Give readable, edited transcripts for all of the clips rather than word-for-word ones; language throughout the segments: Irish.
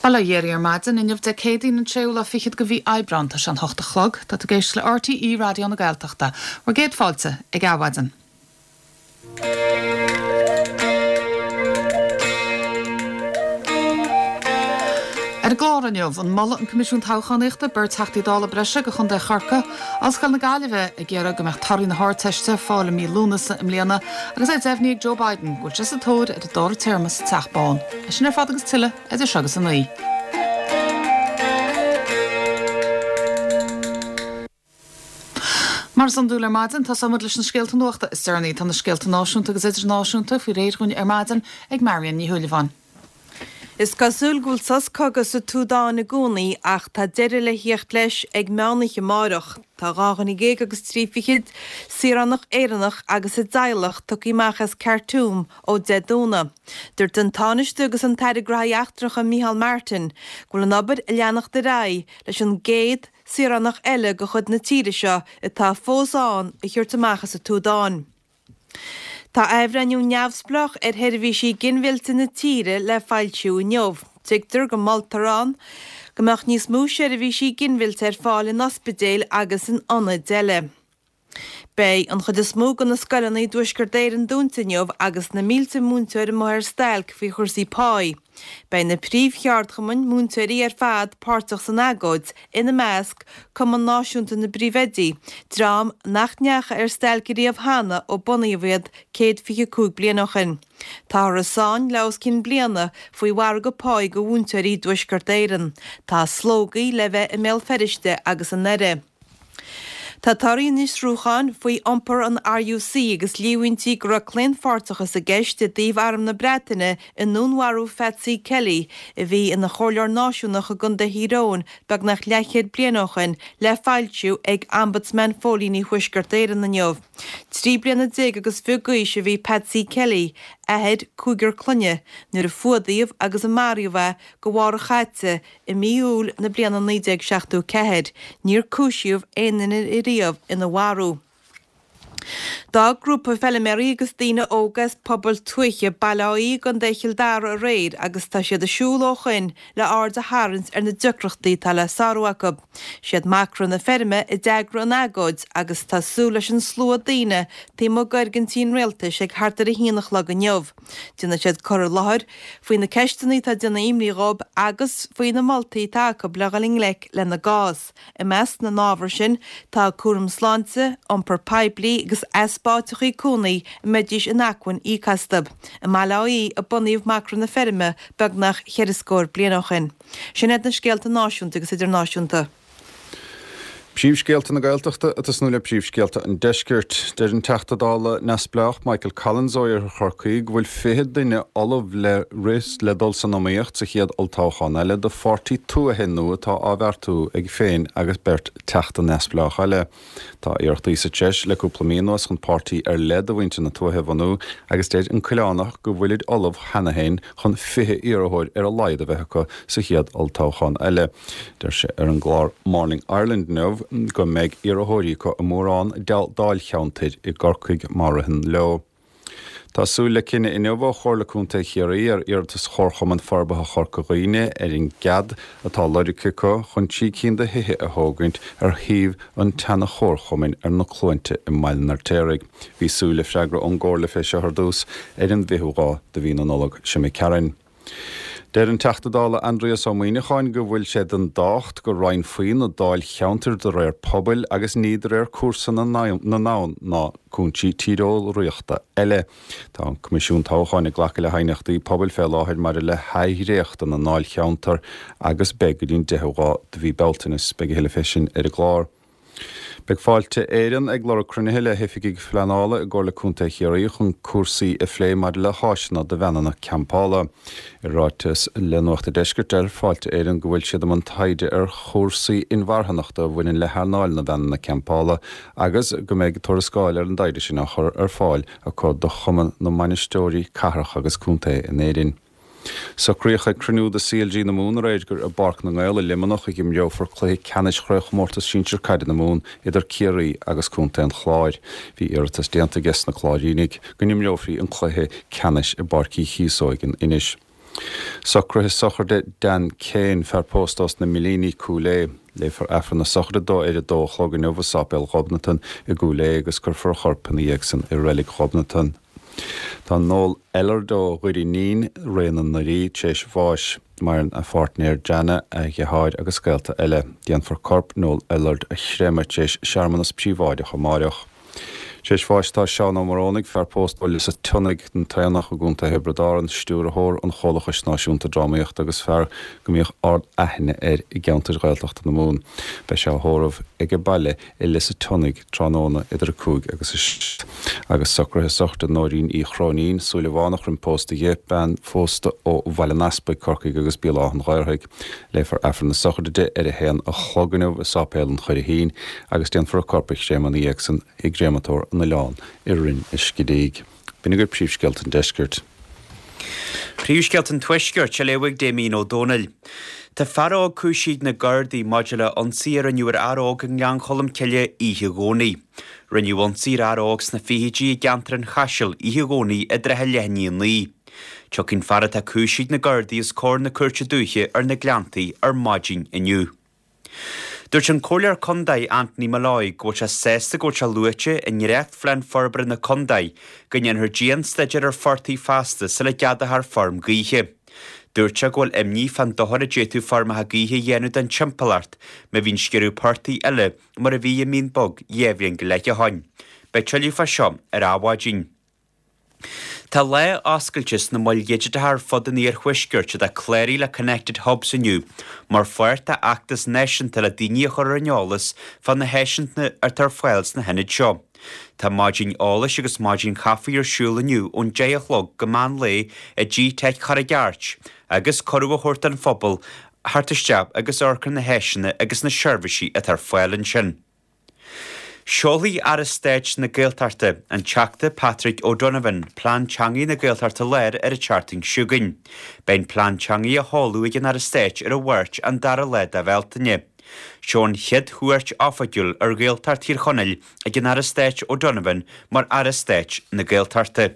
Bail ó Dhia oraibh ar maidin, inniu Dé Céadaoin an tséú lá fichead de mhí Aibreán, tá sé an hocht a chlog, tá tú ag éisteacht le RTÉ Raidió na Gaeltachta. Bhur gcéad fáilte ag Adhmhaidin. Ar an gclár inniu, an molfaidh an Coimisiún Toghchánaíochta beirt Theachtaí Dála breise do Chontae Chorcaí, Ollscoil na Gaillimhe ag iarraidh go mbeadh torthaí na hArdteiste ar fáil i mí Lúnasa i mbliana agus é deimhnithe ag Joe Biden go bhfuil sé sa tóir ar an dara téarma sa Teach Bán. É sin ar fad agus tuilleadh idir seo agus 9. Mar is iondúil ar maidin, tosóidh muid leis na scéalta nuachta is deireanaí. Tá na scéalta náisiúnta agus idirnáisiúnta faoi réir dhúinn ar maidin ag Marion Ní Shúilleabháin. Is cosúil go bhfuil sos cogaidh sa tSúdáin i gcónaí ach tá deireadh le theacht leis ag meánoíche amárach. Tá 12 dhuine agus 30 saoránach Éireannach agus a dteaghlach tugtha amach as Khartoum ó Dé Domhnaigh. Dúirt an Tánaiste agus an tAire Gnóthaí Eachtracha Micheál Martin go bhfuil an obair ag leanacht ar aghaidh leis an gcéad saoránach eile de chuid na tíre seo atá fós ann a thabhairt amach as an tSúdáin. Tá athbhreithniú neamhspleách ar sheirbhísí ginmhillte na tíre le foilsiú inniu. Tuigtear go moltar ann go mbeadh níos mó seirbhísí ginmhillte ar fáil in ospidéil agus in ionaid eile. Beidh an chuid is mó de na scoileanna i dTuaisceart Éireann dúnta inniu agus na mílte múinteoir amuigh ar stailc faoi chúrsaí páí. Beidh na príomhcheardchumainn múinteoirí ar fad páirteach san agóid, ina measc, Cumann Náisiúnta na bPríomhoidí, dream nach ndeachaigh ar stailc ariamh cheana ó bunaíodh iad 125 bliain ó shin. Táthar i sáinn le os cionn bliana faoi mhargadh páí do mhúinteoirí i dTuaisceart Éireann. Tá slógaí le bheith i mBéal Feirste agus i nDoire. Tá torthaí an fhiosrúcháin faoi iompar an RUC agus líomhaintí go raibh claonpháirteachas i gceist i dtaobh Arm na Breataine i ndúnmharú Phatsy Kelly, a bhí ina chomhairleoir náisiúnach i gContae Thír Eoghain beagnach leathchéad bliain ó shin, le foilsiú ag Ombudsman Phóilíní Thuaisceart Éireann inniu. 13 bliana agus fiche d'aois a bhí Patsy Kelly, athair cúigear clainne, nuair a fuadaíodh agus a maraíodh é go mhárach chaite I mí Iúil na bliana 1974, níor cúisíodh aon duine ariamh ina mharú. D'fhág grúpa feiliméaraí agus daoine óga as pobail tuaithe Baile Átha Í i gContae Chill Dara aréir agus tá siad ag siúl ó shoin le aird a tharraingt ar na deacrachtaí atá le sárú acu. Siad Macra na Feirme a d'eagraigh an agóid agus tá súil leis an slua daoine taobh amuigh d'fhoirgintí an rialtais ag thart ar a haon a chlog inniu. Déanfaidh siad cur i láthair faoi na ceisteanna atá ag déanamh imní dhóibh agus faoi na moltaí atá acu le dhul i ngleic lena gcás. I measc na n-ábhar sin tá cúram sláinte, iompar poiblí agus easpa áiteachaí cónaí a mbeidís in acmhainn íoc astu. I mBaile Átha Í a bunaíodh Macra na Feirme beagnach cheithre scór bliain ó shin. Sin iad na scéalta náisiúnta agus idirnáisiúnta. Príomhscéalta na Gaeltachta ag tosnú le príomhscéalta an Deiscirt. Deir an Teachta Dála neamhspleách Michael Collins ó Iarthar Chorcaí go bhfuil 20 duine ullamh le rith le dul san iomaíocht sa chéad olltoghchán eile do pháirtí tuaithe nua atá á bheartú aige féin agus beirt Teachta neamhspleách eile. Tá iarrachtaí sa treis le cúpla mí anuas chun páirtí ar leith do mhuintir na tuaithe a bhunú agus deir an Coileánach go bhfuilid ullamh cheana féin chun 20 iarrthóir ar a laghad a bheith acu sa chéad olltoghchán eile. Deir sé ar an gclár Morning Ireland inniu go mbeidh iarrthóirí acu i mórán dáilcheantair i gCorcaigh má ritheann leo. Tá súil le cinneadh inniu ó Chomhairle Contae Chiarraí ar iarratas Chomharchumann Forbartha Chorca Dhuibhne ar an gcead atá lorgtha acu chun 3 cinn de thithe a thógaint ar shuíomh an tseana-chomharchumainn ar na Cluainte i mBaile an Fheirtéaraigh. Bhí súil le freagra ón gComhairle fé seo ar dtús ar an bhfichiú lá de mhí na Nollag seo imigh tharainn. Deir an Teachta Dála Aindrias Ó Muíneacháin go bhfuil sé den tábhacht go roinnfí na dáilcheantair de réir pobail agus ní de réir cúrsa na n-abhann ná cúinsí tíreolaíochta eile. Tá an Coimisiún Toghcháin ag glacadh le haighneachtaí pobail fé láthair maidir le hathdhréacht na ndáilcheantar agus beidh go dtí an 10ú lá de mhí Bealtaine. Beidh a thuilleadh fé sin ar an gclár. Beidh Fáilte Éireann ag lorg cruinnithe le hoifigigh phleanála i gComhairle Contae Chiarraí chun cúrsaí a phlé maidir le háiseanna do veaineanna campála. I ráiteas le Nuacht an Deiscirt deir Fáilte Éireann go bhfuil siad i mbun taighde ar chúrsaí inmharthanachta a bhaineann le hearnáil na veaineanna campála agus go mbeidh tuarascáil ar an dtaighde sin á chur ar fáil acu do Chumann na mBainisteoirí Cathrach agus Contae in Éirinn. Socraíodh ag cruinniú de CLG na Mumhan aréir gur i bPáirc na nGael i Luimneach a imreofar cluiche ceannais Chraobhchomórtas Sinsir Caide na Mumhan idir Ciarraí agus Contae an Chláir. Bhí iarratas déanta aige sna Cláirínigh go n-imreofaí an cluiche ceannais i bPáirc Uí Chíosóig in Inis. Socruithe sochraide Dan Kane, fear pósta ós na Millíní, Cúil Aodha. Léifear Aifreann na sochraide dó ar a dó a chlog inniu i Sáipéal Ghobnatan i gCúil Aodha agus cuirfear a chorp ina dhiaidh san i Reilig Ghobnatan. Tá Noel Ellard ó Dhoire Nín, Rae na nDoirí, tar éis bháis. Maireann a pháirtnéir Jana, a dheartháir agus gaolta eile. Déanfar corp Noel Ellard a chreimeadh tar éis searmanas príobháideach amáireach. Tar éis bháis tá Seán Ó Morónaigh, fear pósta ó Lios a' tSionnaigh, an tAonach i gContae Thiobraid Árann, stiúrthóir an Chomhlachais Náisiúnta Drámaíochta agus fear go mbíodh ard-aithne air i gceantair Ghaeltachta na Mumhan. Beidh sé á thórramh aige baile i Lios a' tSionnaigh tráthnóna idir 5 agus 7. Agus socruithe sochraide Nóirín Uí Chróinín, Súilleabhánach roimh pósta dhi, bean phósta ó Bhaile an Easpaig, Corcaigh agus Béal Átha'n Ghaorthaidh. Léifear Aifreann na sochraide di ar a haon a chlog inniu i Sáipéal an Churraichín agus déanfar a corp a chréamadh ina dhiaidh san i gCréamatóir an Oileáin i Rinn an Scidígh. B'in agaibh príomhscéalta an deiscirt. Príomhscéalta an Tuaiscirt á léamh ag Damien Ó Dónaill. Tá fear óg cúisithe ag na Gardaí maidir le ionsaí a rinneadh ar fhear óg i nGleann Cholm Cille oíche Dhomhnaigh. Rinneadh ionsaí ar fhear óg sna fichidí i gceantar an Chaisil oíche Dhomhnaigh i dtrátha leath i ndiaidh a 9. Tiocfaidh an fear atá cúisithe ag na Gardaí os comhair na Cúirte Dúiche ar na Gleanntaí ar maidin inniu. Dúirt an Comhairleoir Contae Anthony Molloy go bhfuil sé sásta go bhfuil sé luaite i ndréachtphlean forbartha na contae go ndéanfar dian-staidéar ar phortaigh feasta sula gceadófar feirm gaoithe. Dúirt sé go bhfuil imní fán dochar a d'fhéadfadh feirmeacha gaoithe a dhéanamh don timpeallacht má bhíonn sciorradh portaigh eile mar a bhí i Mín Bog dhéá bhliain go leith ó shoin. Beidh tuilleadh fá seo ar Adhmhaidin. Tá lá oscailte sna moil dhigiteacha ar fud an iarthuaiscirt atá cláraithe le Connected Hubs inniu mar pháirt dá fheachtas náisiúnta le daoine a chur ar an eolas fá na háiseanna atá ar fáil sna hionaid seo. Tá maidin eolais agus maidin chaife ar siúl inniu ón 10 a chlog go meán lae i G-Teic Charraig Airt agus cuireadh á thabhairt don phobal theacht isteach agus amharc ar na háiseanna agus na seirbhísí atá ar fáil ansin. Seolfaidh Aire Stáit na Gaeltachta, an Teachta Patrick O'Donovan, Plean Teanga na Gaeltachta Láir ar an tseachtain seo chugainn. Beidh an Plean Teanga á sheoladh ag an Aire Stáit ar an Mháirt an dara lá de Bhealtaine. Seo an chéad chuairt oifigiúil ar Ghaeltacht Thír Chonaill ag an Aire Stáit O'Donovan mar Aire Stáit na Gaeltachta.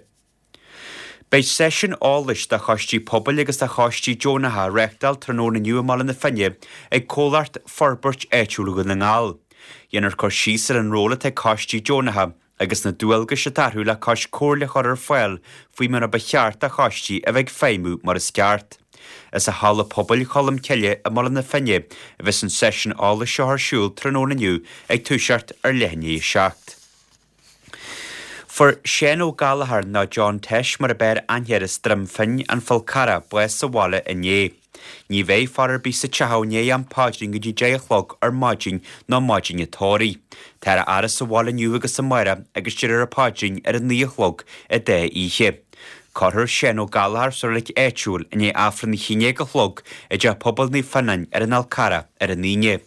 Beidh seisiún eolais do choistí pobail agus do choistí deonacha á reáchtáil tráthnóna inniu i mBaile na Finne ag comhlacht Forbairt Áitiúil Dhún na nGall. Dhéanfar cur síos ar an ról atá ag coistí deonacha agus na dualgais atá orthu le cois comhairle a chur ar fáil faoi mar a ba cheart do choistí a bheith ag feidhmiú mar is ceart. Is i Halla Pobail Cholm Cille i mBaile na Finne a bheas an seisiún eolais seo ar siúl tráthnóna inniu ag toiseacht ar leath i ndiaidh a 7. Fuair Seán Ó Gallchóir, nó John Tosh mar ab fhearr aithne air as Droim Finn, An Fál Carrach, bás sa bhaile inné. Ní bheidh faire ar bith sa teach i ndiaidh am paidrín go dtí 10 a chlog ar maidin nó maidin an tórraimh. Táthar á fhaire sa bhaile inniu agus amárach agus déarfar an paidrín ar a 9 a chlog an dá oíche. Cuirfear Seán Ó Gallchóir sa reilig áitiúil i ndiaidh Aifreann a haon déag a chlog i dTeach Pobail Naomh Fionnáin ar an Fhál Carrach ar an Aoine.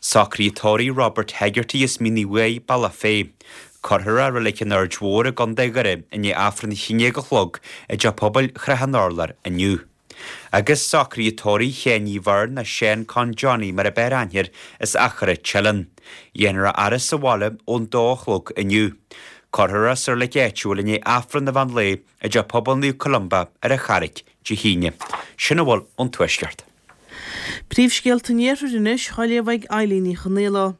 Socruithe tórraimh Robert Hegarty as Mín Uí Bhuaigh, Bealach Féich. Cuirfear é i Reilig an Aird Mhóir i gContae Dhoire i ndiaidh Aifreann a haon déag a chlog i dTeach Pobail Shrath an Urláir inniu. Agus socruithe tórraimh Sheáin Uí Bheirn nó Seán Con Johnny mar ab fhearr aithne air as Achadh Teileann. Dhéanfar a fhaire sa bhaile ón dó a chlog inniu. Cuirfear é sa reilig áitiúil i ndiaidh Aifreann an mheán lae i dTeach Pobail Naomh Columba ar an Charraic Dé hAoine. Sin a bhfuil ón Tuaisceart. Príomhscéalta an Iarthair anois, á léamh ag Eilín Ní Chonaola.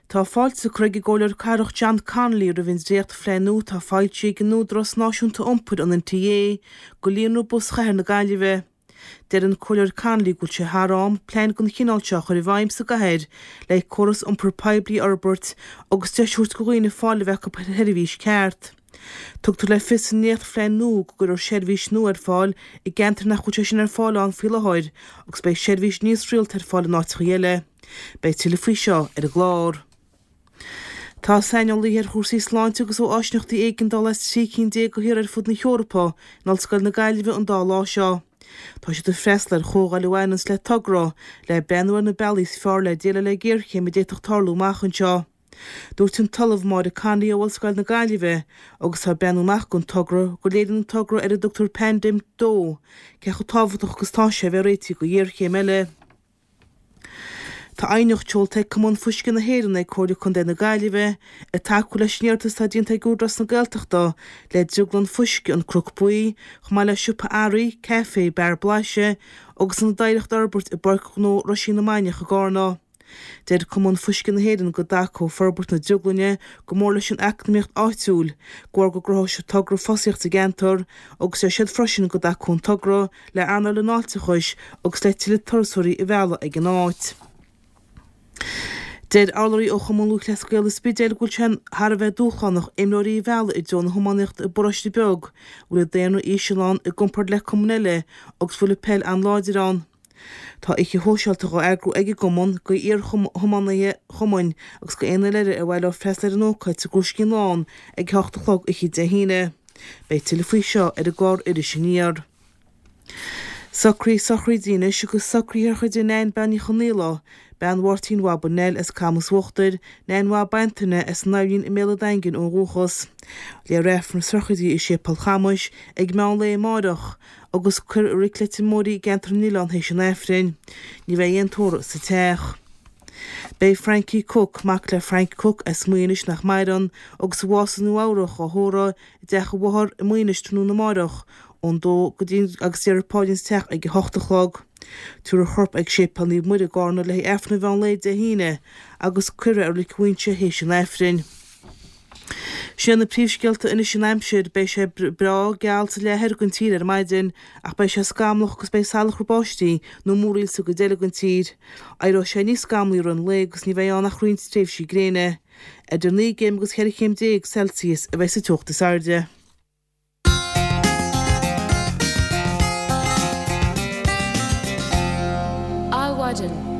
Tá fáilte curtha ag an gComhairleoir Cathrach John Connolly roimh an dréacht-phlean nua atá foilsithe ag an Údarás Náisiúnta Iompair, an NTA, do líonra bus chathair na Gaillimhe. Deir an Comhairleoir Connolly go bhfuil sé thar am plean den chineál seo a chur i bhfeidhm sa gcathair le córas iompair poiblí a fhorbairt agus deis a thabhairt do dhaoine fáil a bheith acu ar sheirbhís ceart. Tugtar le fios sa ndréachtphlean nua go gcuirfear seirbhís nua ar fáil i gceantair nach bhfuil sé sin ar fáil ann faoi láthair agus beidh seirbhís níos rialta ar fáil in áiteacha eile. Beidh tuilleadh faoi seo ar an gclár. Tá saineolaithe ar chúrsaí sláinte agus ó áisíneachtaí éigeandála as 13 cinn de thíortha ar fud na hEorpa in Ollscoil na Gaillimhe an dá lá seo. Tá siad ag freastal ar chomhdháil a bhaineanns le togra le breathnú ar na bealaí is fearr le déileáil le géarchéim a d'fhéadfadh tarlú amach anseo. Dúirt an tOllamh Máire Connolly ó Ollscoil na Gaillimhe, agus atá ag breathnú amach don togra, go léiríonn an togra ar a dtugtar Pandem 2 cé chomh tábhachtach agus atá sé a bheith réitithe do ghéarchéim eile. Tá aighneacht seolta ag Cumann Fuisce na hÉireann ag Comhairle Contae na Gaillimhe ag tacú leis an iarratas atá déanta ag Údarás na Gaeltachta le drioglann fuisce An Cnoc Buí, chomh maith le siopa earraí, caife, beár blaiseadh agus ionad oidhreachta a fhorbairt i bPáirc Ghnó Roisín na Mainiach i gCarna. Deir Cumann Fuisce na hÉireann go dtacódh forbairt na drioglainne go mór leis an eacnamaíocht áitiúil, de bharr go gcruthódh an togra fostaíocht sa gceantar agus deir siad freisin go dtacódh an togra le earnáil an fháilteachais agus le tuilleadh turasóirí a mhealladh ag an áit. Deir urlabhraí ó Chumann Lúthchleas Gael an Spidéil go bhfuil sé thar a bheith dúshlánach imreoirí a mhealladh i dtreo na hiománaíochta i bparóiste beag a bhfuil an daonra íseal ann i gcomparáid le cumainn eile agus a bhfuil an peil an-láidir ann. Tá oíche shóisialta dhá eagrú ag an gcumann go iar-thiománaithe an chumainn agus go aon duine eile ar mhaith leo freastal ar an ócáid sa gCrúiscín Lán ag a hocht a chlog oíche Dé hAoine. Beidh tuilleadh faoi seo ar an gclár Iris Aniar. Socruithe sochraide anois agus socruithe ar chuid de Nain Bean Ní Chonaola, bean Mháirtín Bhaba Nell as Camas Uachtair, Nain Bhab Antaine as an Aibhléan i mBéal an Daingin ó dhúchas. Léifear Aifreann na sochraide i Séipéal Chamais ag meán lae amáireach. agus cuirfear i Reilig Leitir Móir í i gceantar na nOileán théis an Aifrinn. Ní bheidh aon tórramh sa teach. Beidh Frankie Cooke, mac le Frank Cooke as Muighinis nach maireann, agus a bhásaigh i Nua Eabhrach, á thórramh i dteach a mháthar i Muighinis tráthnóna amáireach ón dó go dtí agus déarfar paidrín sa teach ag a hocht a chlog. Tabharfar a chorp ag Séipéal Naomh Muire i gCarna le haghaidh Aifreann an mheán lae Dé hAoine agus cuirfear é i Reilig Mhuighinse théis an Aifrinn. Sin iad na príomhscéalta anois an aimsir. Beidh sé breá geal sa leath thoir den tír ar maidin ach beidh sé scamallach agus beidh salachar báistí nó múraíl sa gcuid eile den tír. Éireoidh sé níos scamallaí i rith an lae agus ní bheidh ann ach roinnt tréimhsí gréine. Idir 9 gcéim agus 14 chéim Celsius a bheidh sa teocht is airde. Adhmhaidin.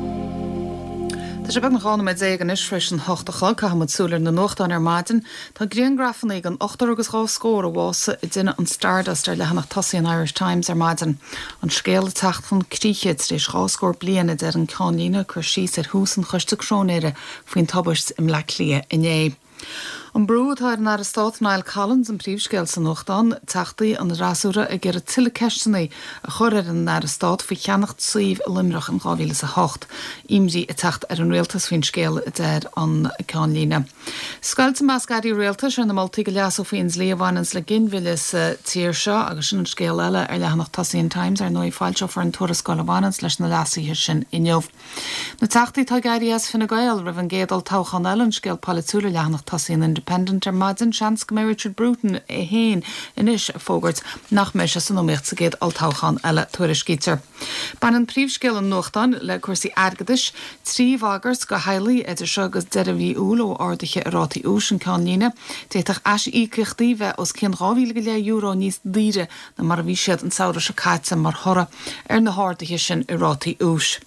Tá sé beagnach 12 nóiméad anois tar éis an hocht a chlog. Caithfidh muid súil ar na nuachtáin ar maidin. Tá griangrafanna den ochtar agus dhá scór a bhásaigh i dtine an Stardust ar leathanach tosaigh an Irish Times ar maidin. An scéal ag teacht chun críche tar éis dhá scór bliain, a deir an ceannlíne ag cur síos ar thús an choiste cróinéara faoin tubaist i mBleá Cliath inné. An brú atá ar an Aire Stáit Niall Collins an príomhscéal sa nuachtán, Teachtaí an fhreasúra ag iarraidh tuilleadh ceisteanna a chur ar an Aire Stáit faoi cheannacht suímh i Luimneach in 2008. Imní ag teacht ar an Rialtas faoin scéal, a deir an ceannlíne. Scoilt i measc airí rialtais ar na moltaí go leasófaí an dlí a bhaineanns le ginmhilleadh sa tír seo agus sin an scéal eile ar leathanach tosaigh an Times. Ar ndóigh foilseofar an tuarascáil a bhaineanns leis na leasuithe sin inniu. Na Teachtaí atá ag éirí as Fine Gael roimh an gcéad olltoghchán eile, an scéal polaitiúil ar leathanach tosaigh an Independent ar maidin. Seans go mbeidh Richard Bruton é féin anois ag fógairt nach mbeidh sé san iomaíocht sa gcéad olltoghchán eile, tuairiscítear. Baineann príomhscéal an nuachtáin le cúrsaí airgeadais. Trí bhagairt do theaghlaigh idir seo agus deireadh mhí Iúil ó arduithe i rátaí úis, an ceannlíne. D'fhéadfadh aisíocaíochtaí bheith os cionn €12,500 níos daoire ná mar a bhí siad an samhradh seo caite mar thoradh ar na harduithe sin i rátaí úis.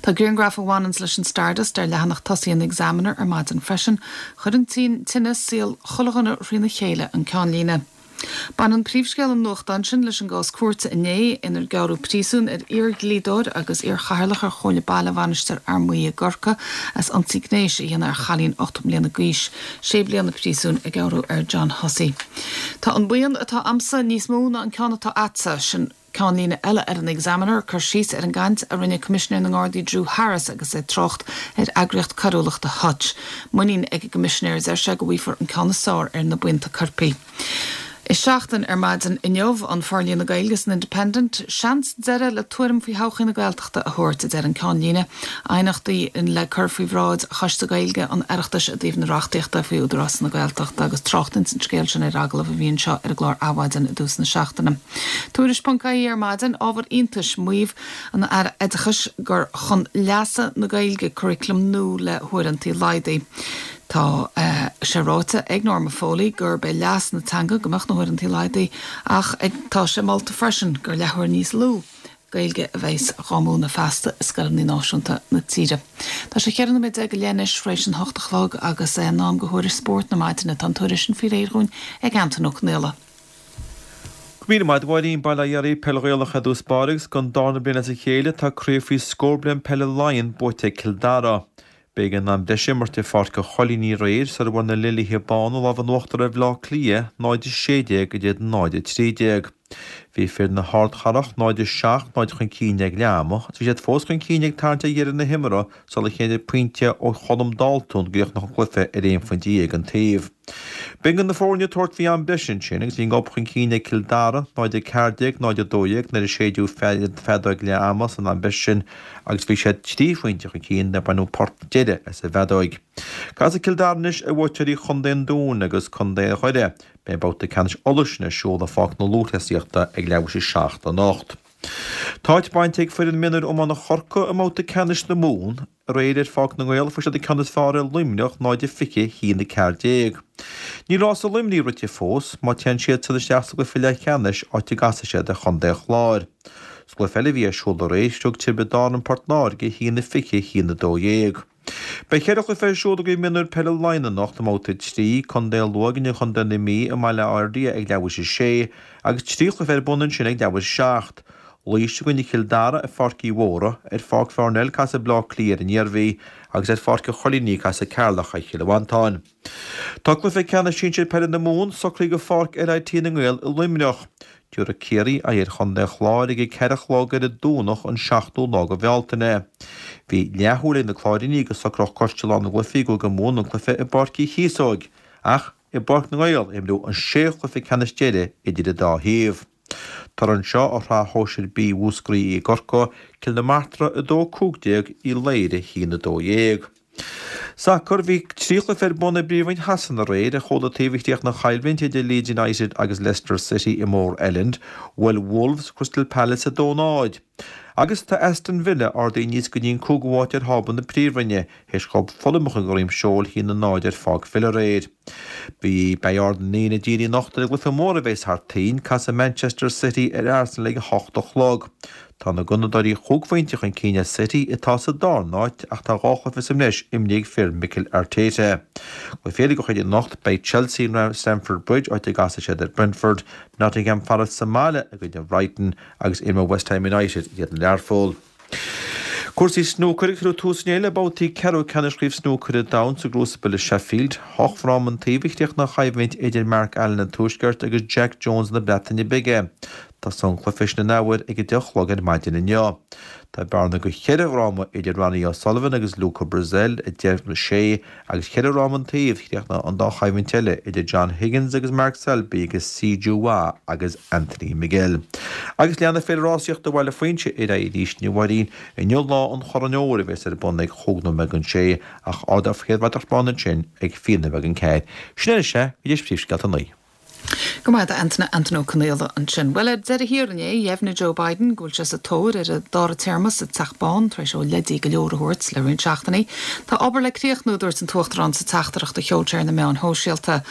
Tá grianghraf a bhaineanns leis an Stardust ar leathanach tosaigh an Examiner ar maidin freisin. Chuir an tine saol chuile dhuine thrína chéile, an ceannlíne. Baineann príomhscéal an nuachtáin sin leis an gcás cúirte inné inar gearradh príosún ar iar-dhlíodóir agus iar-chathaoirleach ar Chomhairle Baile Mhainistir Fhear Maí i gCorcaigh as ionsaí gnéis a dhéanamh ar chailín 8 mbliana d'aois. Sé bliana príosúin a gearradh ar John Hussey. Tá an buíon atá a'msa níos mó ná an ceann atá a'dsa, sin ceannlíne eile ar an Examiner, cur síos ar an gcaint a rinne Coimisinéir na nGardaí Drew Harris agus é ag trácht ar eagraíocht coiriúlachta Hutch. Muinín ag an gCoimisinéir, a deir sé, go bhfaighfear an ceann is fearr ar na buíonta coirpigh. I Seachtain ar maidin inniu, an forlíonadh Gaeilge san Independent, seans deireadh le tuairim faoi thodhchaí na Gaeltachta a thabhairt, a deir an ceannlíne. Aighneachtaí le cur faoi bhráid Choiste Gaeilge an Oireachtais i dtaobh na reachtaíochta faoi Údarás na Gaeltachta agus trácht ins an scéal sin ar agallamh a bhí anseo ar an gclár Adhmhaidin i dtús na seachtaine. Tuairisc.ie ar maidin, ábhar iontais, maíomh an Aire Oideachais gur chun leasa na Gaeilge curaclam nua le huaireanta laghdaithe. Tá sé ráite ag Norma Foley gurb é leas na teanga go mbeadh na huaireanta laghdaithe ach tá sé molta freisin gur leathuair níos lú Gaeilge a bheas dhá múineadh feasta i scoileanna náisiúnta na tíre. Tá sé 14 nóiméad go leith anois tar éis an hocht a chlog agus é in am do thuairisc spóirt na maidine. Tá an tuairisc sin faoi réir dhúinn ag Antain Ó Conaola. Go raibh míle maith agat a Mháirín, Bail ó Dhia oraibh, Peil Ghaelach i dtús báire agus don darna bliain as a chéile tá craobh faoi scór bliain peile Laighean buaite ag Cill Dara. B'éigean am breise a imirt i Pháirc an Choilínigh aréir sar a bhfuair na Lilithe Bána an lámh in uachtar ar Bhaile Átha Cliath, 0-16 in éadan 0-13. Bhí fir na hardchathrach 0-7, 0 chun cinn ag leath ama agus bhí siad fós chun cinn ag tarraingt ar dheireadh na himeartha sular cheadaigh pointe ó Cholm Dalton go gcríochnódh an cluiche ar aon phointe dhéag an taobh. B'ionann na foirne ag tabhairt faoi am breise ansin agus bhí an gob chun cinn ag Cill Dara, 0-14, 0-12, nuair a séideadh feadóg leath ama san am breise sin agus bhí siad trí phointe chun cinn nuair a baineadh port deiridh as an bhfeadóig. Casfaidh Cill Dara anois ar bhuaiteoirí Chontae an Dúin agus Contae Dhoire. Beidh babhta ceannais Uladh sin ar siúl i Pháirc na Lúthchleasaíochta ag leathuair tar éis a 7 anocht. Tá áit bainte ag foireann mionúir iomána Chorcaí i mbabhta ceannais na Mumhan. Aréir ar Pháirc na nGael fuair siad an ceann is fearr ar Luimneach, 0-20, 1-14. Níl rása Luimnigh rite fós, má téann siadsan isteach sa gcluiche leathcheannais, áit a gcasfaidh siad ar chontae an Chláir. Sa gcluiche eile a bhí ar siúl aréir, thug Tiobraid Árann Port Láirge, 1-20, 1-12. Beidh cheithre chluiche ar siúl i gCraobh Mionúir Peile Laighean anocht i mBabhta 3, Contae Lú i gcoinne Chontae na Mí i mBaile Átha Fhirdhia ag leathuair tar éis a sé, agus trí chluiche ar bun ansin ag leathuair tar éis a 7. Laois i gcoinne Chill Dara ar Pháirc Uí Mhórdha, ar Pháirc Pharnell casfaidh Bleá Cliath ar an Iarmhí agus ar Pháirc an Choilínigh casfaidh Ceatharlach ar Chill Mhantáin. Tá cluiche ceannais sinsir peile na Mumhan socraithe do Pháirc LIT na nGael i Luimneach. Tabharfaidh Ciarraí aghaidh ar chontae an Chláir ag a 4 a chlog ar an Domhnach an 7ú lá de Bhealtaine. Bhí leathshúil ag na Cláirínigh go socródh Coiste Lá na gCluichí i gCúige Mumhan an cluiche i bPáirc Uí Chíosóig ach i bPáirc na nGael a imríodh an sé chluiche ceannais deiridh idir an dá thaobh. Toradh anseo ó Shraith Shóisir B Mhúscraí i gCorcaigh, Cill na Martra 2-15, Uí Laoghaire 1-12. Sacar, Bhí trí chluiche ar bun i bPríomhroinn Shasana aréir. Ar chúl an taobh a chríochnaigh an choimhlint idir Leeds United agus Leicester City i Moor Elland. Bhuail Wolves Crystal Palace 2-0. Agus tá Aston Villa ardaithe aníos go dtí an cúigiú háit ar thábla na Príomhroinne, théis dhóibh Fulham a chur de dhroim seoil 1-0 ar Pháirc Villa aréir. Bhí Beidh aird na ndaoine dírithe anocht ar an gcluiche mór a bheas thar toinn, casfaidh Manchester City ar Arsenal ag a hocht a chlog. Tá na Gunnadóirí chúig phointe chun cinn ar City, atá sa darna háit, ach tá dhá chluiche sa mbreis imrithe ag fir Mikel Arteta. Cluichí eile den chuid anocht, beidh Chelsea in Stamford Bridge, áit a gcasfaidh siad ar Brentford, Nottingham Forest sa mbaile i gcoinne Brighton agus imreoidh West Ham United in éadan Learpholl. Cúrsaí snúcair, Cuireadh tús inné le babhtaí ceathrú ceannais Chraobh Snúcair an Domhain sa gCrucible i Sheffield. Ocht bhfráma an taobh a chríochnaigh an choimhlint idir Mark Allen an Tuaiscirt agus Jack Jones na Breataine Bige. Tosóidh an cluiche sin an athuair ag a 10 a chlog ar maidin inniu. Tá bearna de cheithre fhráma idir Ronnie O'Sullivan agus Luca Brecel, 10, 6, agus cheithre fhráma an taobh, chríochnaigh an dá choimhlint eile idir John Higgins agus Mark Selby agus Si Jiahui agus Anthony Miguel. Agus leanfaidh Féile Rásaíochta Bhaile Phuinse ar aghaidh arís inniu a Mháirín. Inniu Lá an Chorn Óir a bheas ar bun ag chúig nóiméad don sé ach ardófar an chéad bhratach bán ansin ag fiche nóiméad don ceathair. Sin anois é, go dtí príomhscéalta a naoi. Go raibh maith agat Antaine, Antaine Ó Conaola ansin. Bhuel, ar deireadh thiar inné, dheimhnigh Joe Biden go bhfuil sé sa tóir ar an dara téarma sa Teach Bán tar éis dó leidí go leor a thabhairt le roinnt seachtainí. Tá obair le críochnú, a dúirt an tUachtarán sa teachtaireacht a sheol sé ar na meáin shóisialta.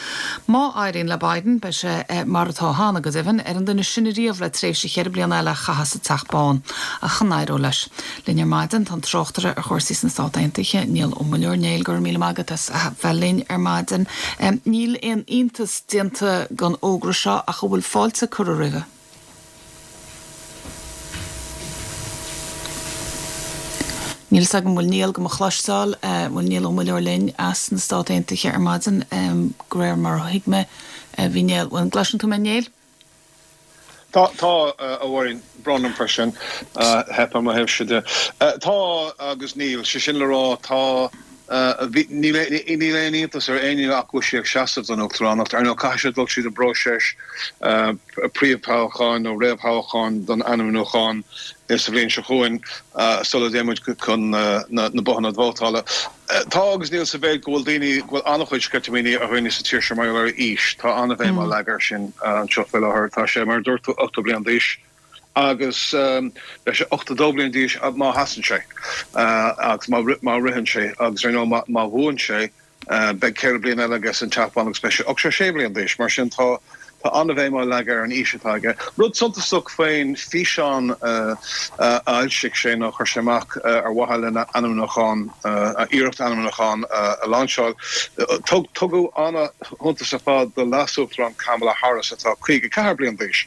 Má éiríonn le Biden, beidh sé, mar atá cheana go deimhin, ar an duine is sine riamh le tréimhse cheithre bliana eile a chaitheamh sa Teach Bán. Ach an éireoidh leis? Linn ar maidin tá an tráchtaire ar chúrsaí sna Stát Aontaithe, Niall Ó Muilleoir. Néill, go raibh míle maith agat as bheith linn ar maidin. Níl aon iontas déanta den fhógra seo ach an bhfuil fáilte curtha roimhe? Níl fhios agam an bhfuil Niall do mo chloisteáil, an bhfuil Niall Ó Muilleoir linn as na Stát Aontaithe ar maidin? De réir mar a thuig mé, bhí Niall, bhuel, an gcloiseann tú mé Néill? Tá, tá, a Mháirín. Brón orm faoi sin. Theip ar mo thaobhse de. Tá agus níl. Sé sin le rá, tá, bhí, níl, níl aon iontas ar éinne ach go bhfuil sé ag seasamh don uachtaránacht. Ar ndóigh, caithfidh sé dul tríd an bpróiseas príomhthoghcháin nó réamhthoghcháin don ainmniúchán sa bhliain seo chugainn sula dtéann muid chun na bothanna vótála. Tá agus níl sa mhéid go bhfuil daoine, go bhfuil an-chuid sceitimíní ar dhaoine sa tír seo mar gheall ar a aois. Tá an-bhéim á leagadh air sin anseo faoi láthair. Tá sé, mar a dúirt tú, 80 bliain d'aois agus beidh sé 82 bliain d'aois má sheasann sé agus má ritheann sé agus ar ndóigh má bhuann sé beidh ceithre bliana eile aige san Teach Bán agus beidh sé 86 bliain d'aois. Mar sin tá Tá an-bhéim á leagadh ar an aois atá aige. Rud suntasach faoin físeán a fhoilsigh sé nó a chuir sé amach ar mhaithe lena ainmniúchán, a iarracht ainmniúcháin a lainseáil, tugadh an-shuntas ar fad do Leas-Uachtarán Kamala Harris atá 54 bliain d'aois.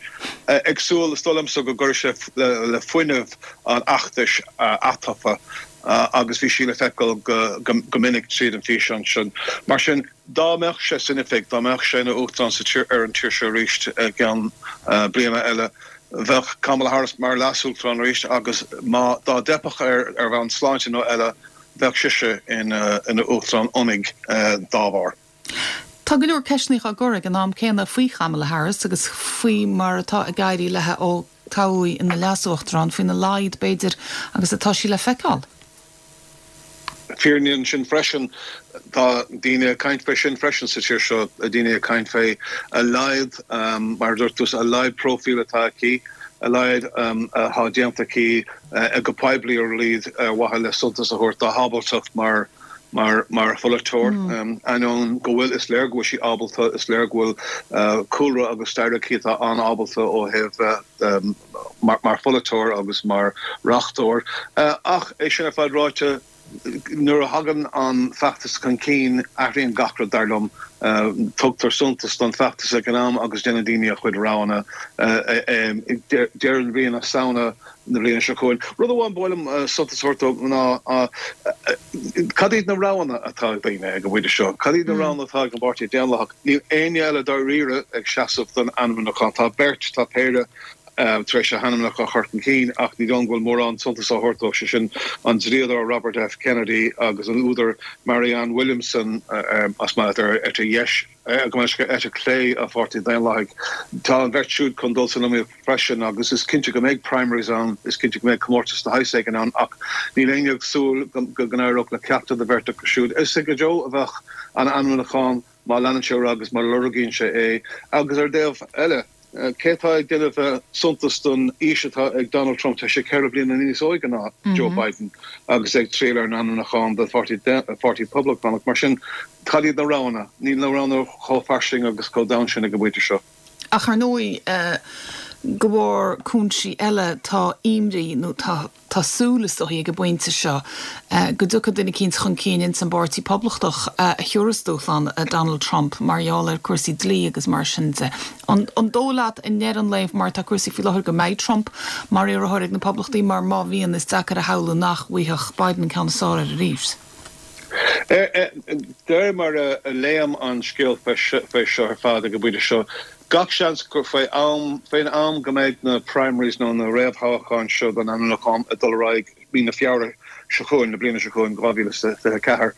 Ag súil, is dóigh liomsa, go gcuirfidh sé le fuinneamh an fheachtais atofa. Agus bhí sí le feiceáil go minic tríd an bhfíseán sin. Mar sin, dá mbeadh sé san oifig, dá mbeadh sé ina Uachtarán sa tír, ar an tír seo arís i gceann bliana eile, bheadh Kamala Harris mar Leas-Uachtarán arís agus má, dá dteipfeadh air ar bhonn sláinte nó eile, bheadh sise ina Uachtarán oinigh dá bharr. Tá go leor ceisteanna á gcur ag an am céanna faoi Kamala Harris agus faoi mar atá ag éirí léi ó toghadh í ina leas-uachtarán, faoina laghad, b'fhéidir, agus atá sí le feiceáil. Fírinne ansin freisin. Tá daoine ag caint fé sin freisin sa tír seo, daoine ag caint fé a laghad, mar a dúirt tú, a laghad próifíl atá aici, a laghad atá déanta aici go poiblí ar a laghad ar mhaithe le suntas a thabhairt dá hábaltacht mar mar mar pholaiteoir, ainneoin go bhfuil, is léir go bhfuil sí ábalta, is léir go bhfuil cúlra agus stair aici atá an-ábalta ó thaobh mar mar pholaiteoir agus mar reachtóir. Ach é sin ar fad ráite, nuair a thagann an feachtas chun cinn, athraíonn gach rud, dar liom. Tugtar suntas don feachtas ag an am agus déanann daoine a chuid roghanna ag deireadh na bliana, Samhna, na bliana seo chugainn. Rud amháin ba mhaith liom suntas a thabhairt dó ná cad iad na roghanna atá ag daoine ag an bpointe seo? Cad iad na roghanna atá ag an bPáirtí Daonlathach? Níl éinne eile dáiríre ag seasamh don ainmniúchán. Tá beirt, tá péire tar éis a hainmneacha a chur chun cinn ach ní dóigh liom go bhfuil mórán suntais á thabhairt dóibh, sé sin an dlíodóir Robert F. Kennedy agus an údar Marianne Williamson as maith leat ar eite dheis. Gabh mo leithscéal, eite chlé an Pháirtí Daonlathaigh. Tá an bheirt siúd chun dul san iomaíocht freisin agus is cinnte go mbeidh primaries ann, is cinnte go mbeidh comórtas de shaghas éigin ann ach níl éinne ag súil go n-éireodh le ceachtar den bheirt acu siúd. Is ag Joe a bheadh an ainmniúchán má leanann sé ar aghaidh agus má lorgaíonn sé é agus ar an dtaobh eile, Cé atá ag déanamh suntas don aois atá ag Donald Trump? Tá sé 4 bliana níos óige ná Joe Biden agus é ag triail ar an ainmniúchán don Pháirtí Poblachtánach. Mar sin, cad iad na roghanna? Níl na roghanna chomh fairsing agus chomh domhain sin ag an bpointe seo. Ach ar ndóigh, de bharr cúinsí eile, tá imní nó tá. Tá súil, is dóichí, ag an bpointe seo go dtiocfaidh duine eicínt chun cinn ins an bPáirtí Poblachtach a thiúrfas dúshlán Donald Trump mar gheall ar cúrsaí dlí agus mar sin de. An dóigh leat i ndeireadh an lae mar atá cúrsaí faoi láthair go mbeidh Trump mar iarrthóir ag na Poblachtaigh mar má bhíonn is deacair a shamhlú nach bhfuigheadh Biden an ceann is fearr air arís? De réir mar a léim an scéal fé seo ar fad ag an bpointe seo, gach seans gur faoi am, faoin am go mbeidh na primaries nó na réamhthoghcháin seo don ainmniúchán ag dul ar aghaidh mí na Feabhra seo chugainn, na bliana seo chugainn, 2024,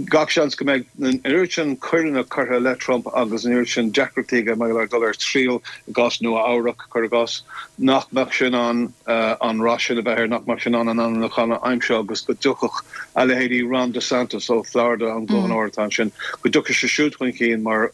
gach seans go mbeidh an oiread sin coireanna curtha i leith Trump agus an oiread sin deacrachtaí aige mar gheall ar dul ar triail i gcás Nua-Eabhrac, cuir i gcás, nach mbeadh sé in ann an rath sin a bheith air, nach mbeadh sé in ann an ainmniúchán a aimsiú agus go dtiocfadh a leithéidí Ron DeSantis ó Florida, an gobharnóir atá ansin, go dtiocfadh sé siúd chun cinn mar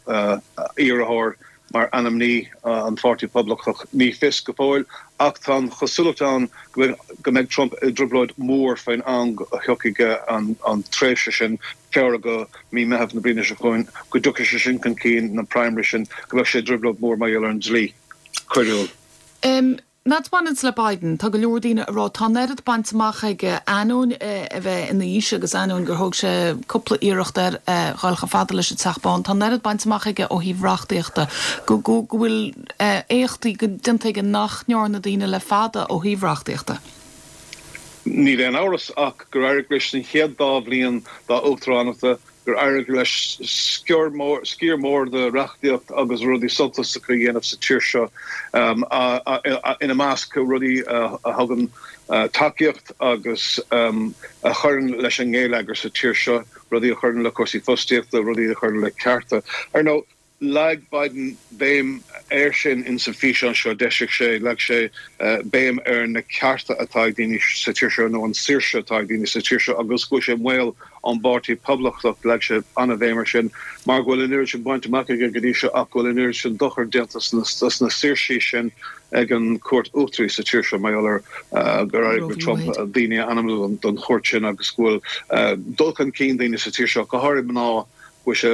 iarrthóir, mar ainmní an Pháirtí Poblachtach. Ní fios go fóill ach tá an chosúlacht ann go mbeidh Trump i dtrioblóid mhór faoin am a thiocfaidh an tréimhse sin, Feabhra go mí Meitheamh na bliana seo chugainn, go dtiocfaidh sé sin chun cinn, na primaries sin, go mbeadh sé i dtrioblóid mhór mar gheall ar an dlí coiriúil. An rud a bhaineanns le Biden, tá go leor daoine ag rá tá an oiread bainte amach aige, ainneoin a bheith ina aois agus ainneoin gur thóg sé cúpla iarracht air dhul chomh fada leis an Teach Bán, tá an oiread bainte amach aige ó thaobh reachtaíochta, go go bhfuil éachtaí déanta aige nach ndearna daoine le fada ó thaobh reachtaíochta. Níl aon amhras ach gur éirigh leis san chéad dá bhliain dá uachtaránachta, gur éirigh leis sciar mór, sciar mór de reachtaíocht agus rudaí suntasacha a dhéanamh sa tír seo, ina measc rudaí a thugann tacaíocht agus a chuireann leis an ngeilleagar sa tír seo, rudaí a chuireann le cúrsaí fostaíochta, rudaí a chuireann le cearta. Ar ndóigh, Leag Biden béim air sin in san físeán seo a d'eisigh sé, leag sé béim ar na cearta atá ag daoine sa tír seo nó an saoirse atá ag daoine sa tír seo agus go bhfuil sé i mbaol ón bPáirtí Poblachtach, leag sé an-bhéim air sin mar go bhfuil an oiread sin bainte amach aige go dtí seo ach go bhfuil an oiread sin dochair déanta dos na saoirsí sin ag an Chúirt Uachtaraí sa tír seo mar gheall ar gur éirigh le Trump daoine a ainmniú don chúirt sin agus go bhfuil dul chun cinn daoine sa tír seo, go háirithe mná. go bhfuil sé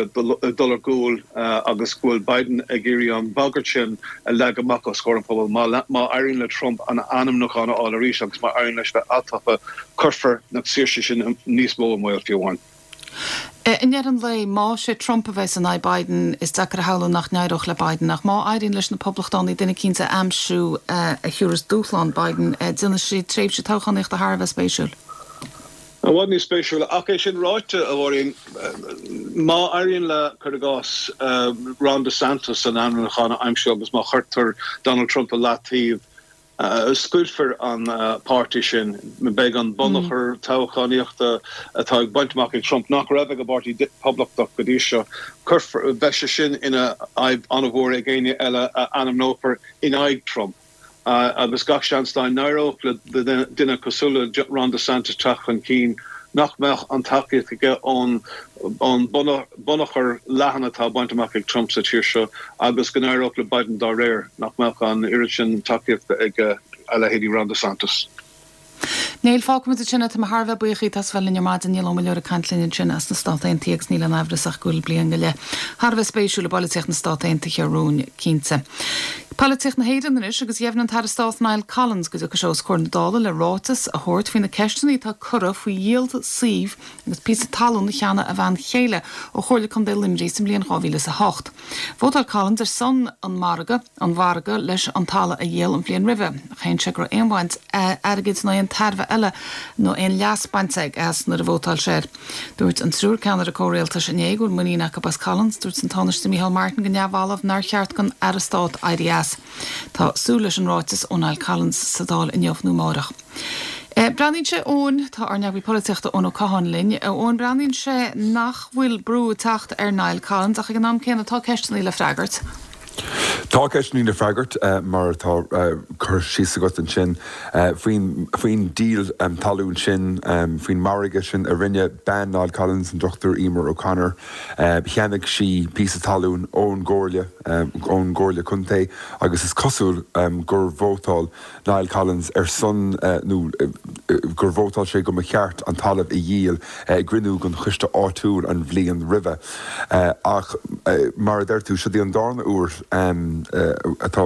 ag dul ar gcúl agus go bhfuil Biden ag iarraidh an bhagairt sin a leagadh amach os comhair an phobail. Má éiríonn le Trump an ainmniúchán a fháil arís agus má éiríonn leis bheith atofa, cuirfear na saoirsí sin níos mó i mbaol fiú amháin. I ndeireadh an lae, más é Trump a bheas in aghaidh Biden, is deacair a shamhlú nach n-éireodh le Biden. Ach má éiríonn leis na Poblachtánaigh duine eicínt a aimsiú a thiúrfas dúshlán Biden, déanfaidh sé tréimhse toghchánaíochta thar a bheith spéisiúil. I bhfad níos spéisiúla. Ach é sin ráite, a Mháirín, má éiríonn le, cuir i gcás, Ron DeSantis an ainmniúchán a aimsiú agus má chuirtear Donald Trump i leataobh, scoiltfear an páirtí sin. Beidh an bunachar toghchánaíochta atá ag baint amach ag Trump, nach raibh ag an bPáirtí Poblachtach go dtí seo, cuirfear, beidh sé sin ina fhadhb an-mhór ag éinne eile a ainmneofar in aghaidh Trump. Agus gach seans dá n-éireodh le duine cosúil le Ron DeSantis teacht chun cinn, nach mbeadh an tacaíocht aige ón bunachar leathan atá bainte amach ag Trump sa tír seo agus go n-éireodh le Biden dá réir, nach mbeadh an oiread sin tacaíochta ag a leithéidí Ron DeSantis. Niall, fágfaimid ansin é. Tá mé thar a bheith buíoch díot as a bheith linn ar maidin. Niall Ó Muilleoir ag caint linn ansin as na Stát Aontaithe agus níl aon amhras ach go bhfuil bliain go leith thar a bheith spéisiúil i bpolaitíocht na Stát Aontaithe romhainn cinnte. Polaitíocht na hÉireann anois agus dheimhnigh an tAire Stáit Niall Collins go dtiocfaidh sé os comhair na Dála le ráiteas a thabhairt faoi na ceisteanna atá curtha faoi dhíol suímh agus píosa talún a cheannaigh a bhean chéile ó Chomhairle Contae Luimnigh sa mbliain 2008. Vótáil Collins ar son an margadh an mhargaidh leis an talamh a dhíol an bhliain roimhe. Shéan sé go raibh aon bhaint airgid nó aon tairbhe eile nó aon leas bainte aige as nuair a vótáil sé air. Dúirt an triúr ceannaire comhrialtais inné go bhfuil muinín acu as Collins. Dúirt an Tánaiste Micheál Martin go neamhbhalbh nár cheart don Aire Stáit éirí as. Tá súil leis an ráiteas ó Niall Collins sa Dáil inniu nó amárach. Breathnaíonn sé, Eoin, tá ár n-eagraí polaitíochta Eoin Ó Catháin linn. Eoin, breathnaíonn sé nach bhfuil brú ag teacht ar Niall Collins ach ag an am céanna tá ceisteanna le freagairt. Tá ceisteanna le freagairt, mar atá curtha síos agat ansin, faoin faoin díol talún sin, faoin margadh sin a rinne bean Niall Collins, an Dr Emer O'Connor. Cheannaigh sí píosa talún ón gComhairle, ón gComhairle Contae agus is cosúil gur vótáil Niall Collins ar son nó gur vótáil sé go mba cheart an talamh a dhíol i gcruinniú den choiste áitiúil an bhliain roimhe. Ach mar a deir tú, seo í an darna huair atá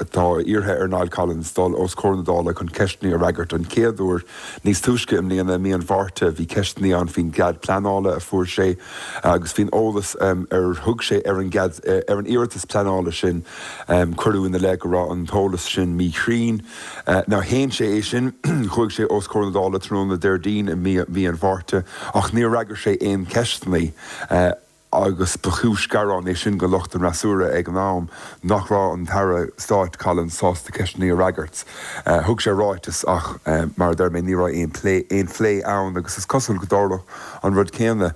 atá iarrtha ar Niall Collins dul os comhair na Dála chun ceisteanna a fhreagairt. An chéad uair níos túisce i mbliana, i mí an Mhárta, bhí ceisteanna ann faoin gcead pleanála a fuair sé agus faoin eolas ar thug sé ar an gcead ar an iarratas pleanála sin. Cuireadh ina leith go raibh an t-eolas sin míchruinn. Now shéan sé é sin. Chuaigh sé os comhair na Dála tráthnóna Déardaoin i mí an Mhárta ach níor fhreagair sé aon cheisteanna agus ba chúis gearáin é sin do lucht an fhreasúra ag an am nach raibh an tAire Stáit Collins sásta ceisteanna a fhreagairt. Thug sé ráiteas ach mar a deir mé ní raibh aon plé aon phlé ann agus is cosúil go dtarlódh an rud céanna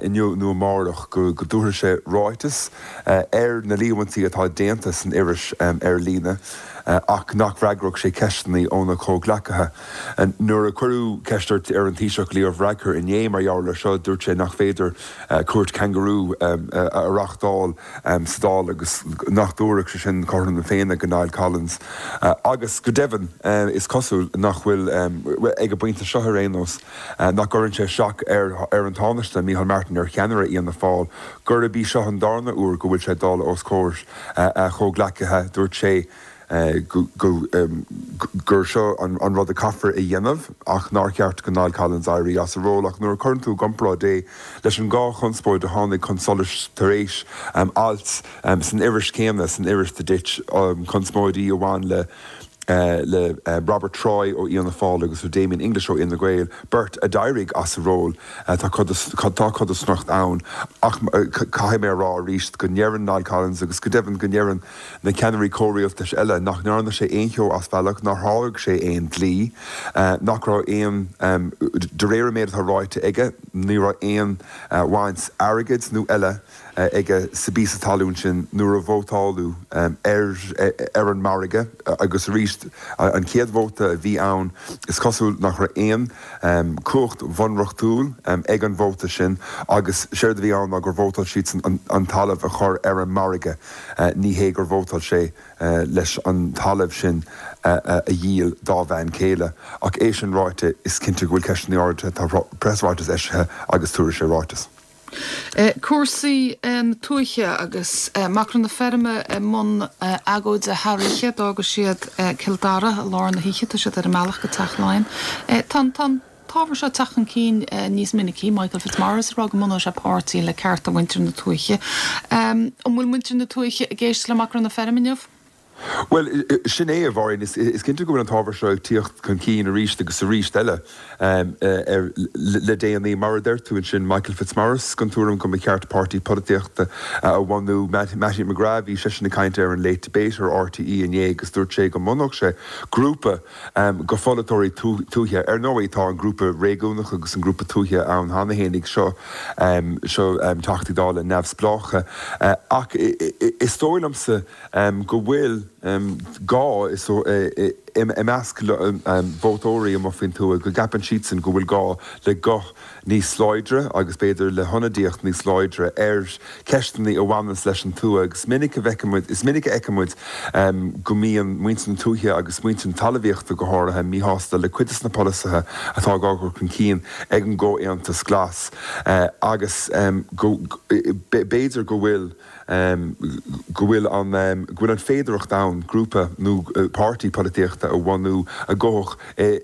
inniu nó amárach go dtabharfaidh sé ráiteas ar na líomhaintí atá déanta san iris ar líne ach nach bhfreagródh sé ceisteanna óna chomhghleacaithe. Nuair a cuireadh ceist ar an Taoiseach Leo Varadkar inné mar gheall air seo, dúirt sé nach féidir cúirt changarú a reáchtáil sa Dáil agus nach dtabharfadh sé sin cothrom na Féinne do Niall Collins. Agus go deimhin, is cosúil nach bhfuil, ag an bpointe seo ar aon nós, nach gcuireann sé isteach ar an Tánaiste, Micheál Martin, ar cheannaire Fhianna Fáil, gurb í seo an darna huair go bhfuil sé ag dul os comhair a chomhghleacaithe. Dúirt sé gur seo an rud a caithfear a dhéanamh ach nár cheart do Niall Collins éirí as a ról. Ach nuair a chuireann tú i gcomparáid é leis an dhá chonspóid a tháinig chun solais tar éis ailt san iris chéanna, san iris The Ditch, conspóidí a bhain le le Robert Troy ó Fhianna Fáil agus le Damien English ó Fhine Gael, beirt a d'éirigh as a ról. Tá codarsnacht ann ach caithfidh mé a rá arís go ndeireann Niall Collins agus go deimhin go ndeireann na ceannairí comhrialtais eile nach ndearna sé aon cheo as bealach, nár sháraigh sé aon dlí, nach raibh aon, de réir an méid atá ráite aige, ní raibh aon bhaint airgid nó eile aige sa bpíosa talún sin nuair a vótáladh ar ar an margadh agus arís an chéad vóta a bhí ann is cosúil nach raibh aon cumhacht bhunreachtúil ag an vóta sin agus séard a bhí ann ná gur vótáil siadsan an talamh a chur ar an margadh ní hé gur vótáil sé leis an talamh sin a dhíol dá bhean chéile. Ach é sin ráite is cinnte go bhfuil ceisteanna ardaithe, tá preasráiteas eisithe agus tabharfaidh sé ráiteas. Cúrsaí na tuaithe agus Macra na Feirme i mbun agóide thar oíche. D'fhága siad Cill Dara i lár na hoíche. Tá siad ar a mbealach go Teach Laighean. Tá an t-ábhar seo ag teacht chun cinn níos minicí. Michael Fitzmaurice ag rá go mbunóidh sé páirtí le cearta mhuintir na tuaithe. An bhfuil muintir na tuaithe ag éisteacht le Macra na Feirme inniu? Bhuel, sin é, a Mháirín. Is cinnte go bhfuil an t-ábhar seo ag tíocht chun cinn arís agus arís eile le déanaí. Mar a deir tú ansin, Michael Fitzmaurice den tuairim go mba cheart páirtí polaitíochta a bhunú. Mattie McGrath, bhí seisean ag caint ar an Late Debate ar RTÉ inné agus dúirt sé go mbunódh sé grúpa de pholaiteoirí tuaithe. Ar ndóigh, tá an grúpa réigiúnach agus an grúpa tuaithe ann cheana fhéinig, seo seo Teachtaí Dála neamhspleácha. Ach is dóigh liomsa, go bhfuil gá i measc vótóirí amuigh faoin tuath, go gceapann siadsan go bhfuil gá le guth níos láidre agus b'fhéidir le hionadaíocht níos láidre ar cheisteanna a bhaineanns leis an tuath. Agus minic a bhfeicimid, is minic a fheicimid go mbíonn muintir na tuaithe agus muintir na talmhaíochta go háirithe míshásta le cuid de na polasaithe atá á gcur chun cinn ag an gComhaontas Glas agus go b'fhéidir go bhfuil go bhfuil an go bhfuil an féidearthacht ann grúpa nó páirtí polaitíochta a bhunú a ghabhfadh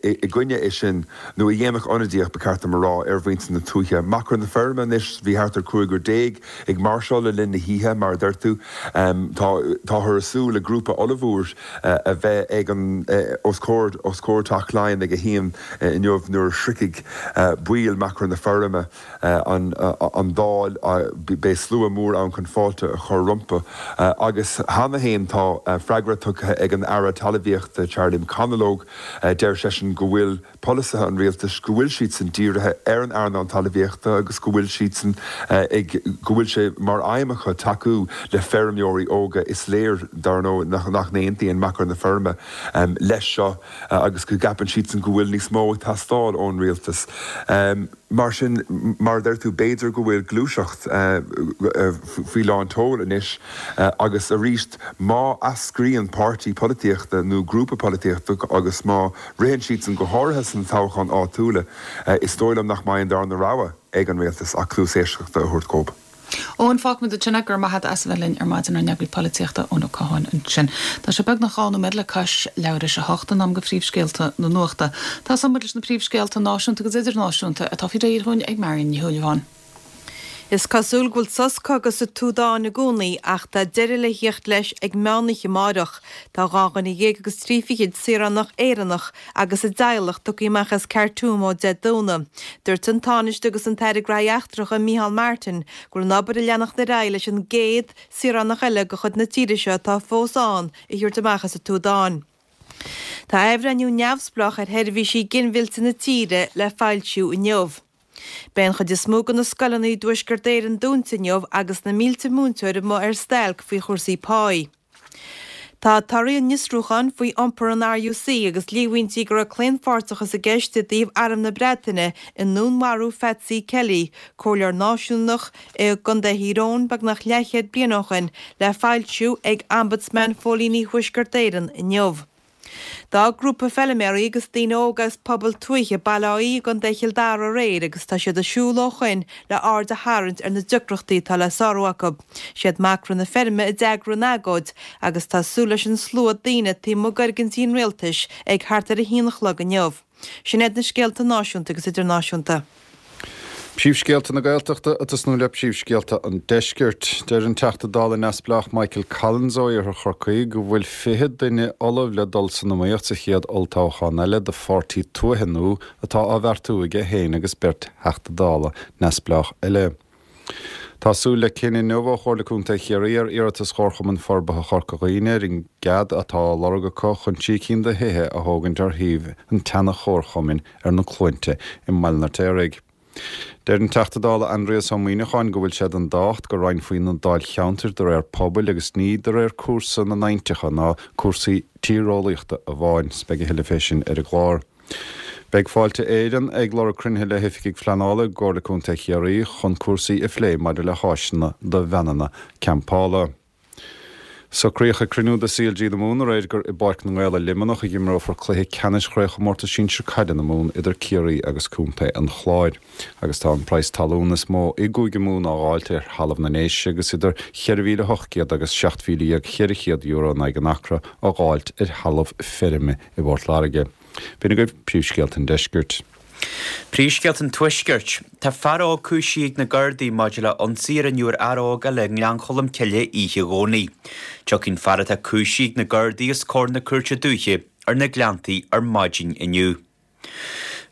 i gcoinne é sin nó a dhéanfadh ionadaíocht, ba cheart dom a rá, ar mhuintir na tuaithe. Machaire na Feirme anois, bhí thart ar 15 ag máirseáil le linn na hoíche, mar a deir tú. Tá táthar ag súil le grúpa ollmhór a bheith ag an os comhair os comhair Teach Laighean ag a haon inniu nuair a shroichfidh baill Machaire na Feirme an Dáil. Beidh slua mór ann chun fáilte a chur rompu agus cheana féin tá freagra tugtha ag an Aire Talmhaíochta Charlie McConalogue. Deir seisean go bhfuil polasaithe an rialtais, go bhfuil siadsan dírithe ar an earnáil talmhaíochta agus go bhfuil siadsan ag, go bhfuil sé mar aidhm acu tacú le feirmeoirí óga. Is léir, dar ndóigh, nach n-aontaíonn Machaire na Feirme leis seo agus go gceapann siadsan go bhfuil níos mó ag teastáil ón rialtas. Mar sin, mar a deir tú, b'fhéidir go bhfuil gluaiseacht faoi lán tseoil anois agus arís, má eascraíonn páirtí polaitíochta nó grúpa polaitíochta agus má ritheann siadsan, go háirithe sna toghcháin áitiúla, is dóigh liom nach mbeidh an darna rogha ag an rialtas ach cluas éisteachta a thabhairt dhóibh. Eoin, fágfaimid ansin é. Go raibh maith agat as a bheith linn ar maidin, ár n-eagraí polaitíochta, Eoin Ó Catháin ansin. Tá sé beagnach 2 nóiméad le cois leathuair tar éis a hocht, in am do phríomhscéalta na nuachta. Tosóidh muid leis na príomhscéalta náisiúnta agus idirnáisiúnta atá faoi réir dhúinn ag Marion Ní Shúilleabháin. Is cosúil go bhfuil sos cogaidh sa tSúdáin i gcónaí ach tá deireadh le theacht leis ag meánoíche amáireach. Tá 12 andruine saoránach Éireannach agus a dteaghlach tugtha amach as Khartoum ó Dé Domhnaigh. Dúirt an Tánaiste agus an tAire Gnóthaí Eachtracha Micheál Martin go bhfuil an obair ag leanacht ar aghaidh leis an gcéad saoránach eile de chuid na tíre seo atá fós ann a thabhairt amach as an tSúdáin. Tá athbhreithniú neamhspleách ar sheirbhísí ginmhillte na tíre le foilsiú inniu. Beidh an chuid is mó de na scoileanna i dTuaisceart Éireann dúnta inniu agus na mílte múinteoir amuigh ar stailc faoi chúrsaí páí. Tá torthaí an fhiosrúcháin faoi iompar an RUC agus líomhaintí go raibh claonpháirteachas i gceist i dtaobh Arm na Breataine i ndúnmharú Phatsy Kelly, comhairleoir náisiúnach i gContae Thír Eoghain beagnach leathchéad bliain ó shin, le foilsiú ag Ombudsman Phóilíní Thuaisceart Éireann inniu. D'fhág grúpa feiliméaraí agus daoine óga as pobal tuaithe Baile Átha Í i gContae Chill Dara aréir agus tá siad ag siúl ó shoin le aird a tharraingt ar na deacrachtaí atá le sárú acu. Siad Macra na Feirme a d'eagraigh an agóid agus tá súil leis an slua daoine taobh amuigh d'fhoirgintí an rialtais ag thart ar a haon a chlog inniu. Sin iad na scéalta náisiúnta agus idirnáisiúnta. Príomhscéalta na Gaeltachta ag tosnú le príomhscéalta an Deiscirt. Deir an Teachta Dála neamhspleách Michael Collins ó Iarthar Chorcaí go bhfuil 20 duine ullamh le dul san iomaíocht sa chéad olltoghchán eile do pháirtí tuaithe nua atá á bheartú aige féin agus beirt Theachta Dála neamhspleách eile. Tá súil le cinneadh inniu ó Chomhairle Contae Chiarraí ar iarratas Chomharchumann Forbartha Chorca Dhuibhne ar an gcead atá á lorg acu chun 3 cinn de thithe a thógaint ar shuíomh an tseana-chomharchumainn ar na Cluainte i mBaile an Fheirtéaraigh. Deir an Teachta Dála Aindrias Ó Muimhneacháin go bhfuil sé den tábhacht go roinnfí na dáilcheantair de réir pobail agus ní de réir cúrsa na n-aibhneacha ná cúrsaí tíreolaíochta amháin. Beidh a thuilleadh fé sin ar an gclár. Beidh Fáilte Éireann ag lorg cruinnithe le hoifigigh phleanála i gComhairle Contae Chiarraí chun cúrsaí a phlé maidir le háiseanna do veaineanna campála. Socraíodh ag cruinniú de CLG na Mumhan aréir gur i bPáirc na nGael i Luimneach a imreofar cluiche ceannais Chraobhchomórtas Sinsir Caide na Mumhan idir Ciarraí agus Contae an Chláir. Agus tá an praghas talún is mó i gCúige Mumhan á dháilt ar thalamh na nDéise agus idir €4,800 agus €17,400 in aghaidh an acra á dháilt ar thalamh feirme i bPort Láirge. B'in agaibh príomhscéalta an deiscirt. Príomhscéalta an Tuaiscirt. Tá fear óg cúisithe ag na Gardaí maidir le ionsaí a rinneadh ar fhear óg eile i nGleann Cholm Cille oíche Dhomhnaigh. Tiocfaidh an fear atá cúisithe ag na Gardaí os comhair na Cúirte Dúiche ar na Gleanntaí ar maidin inniu.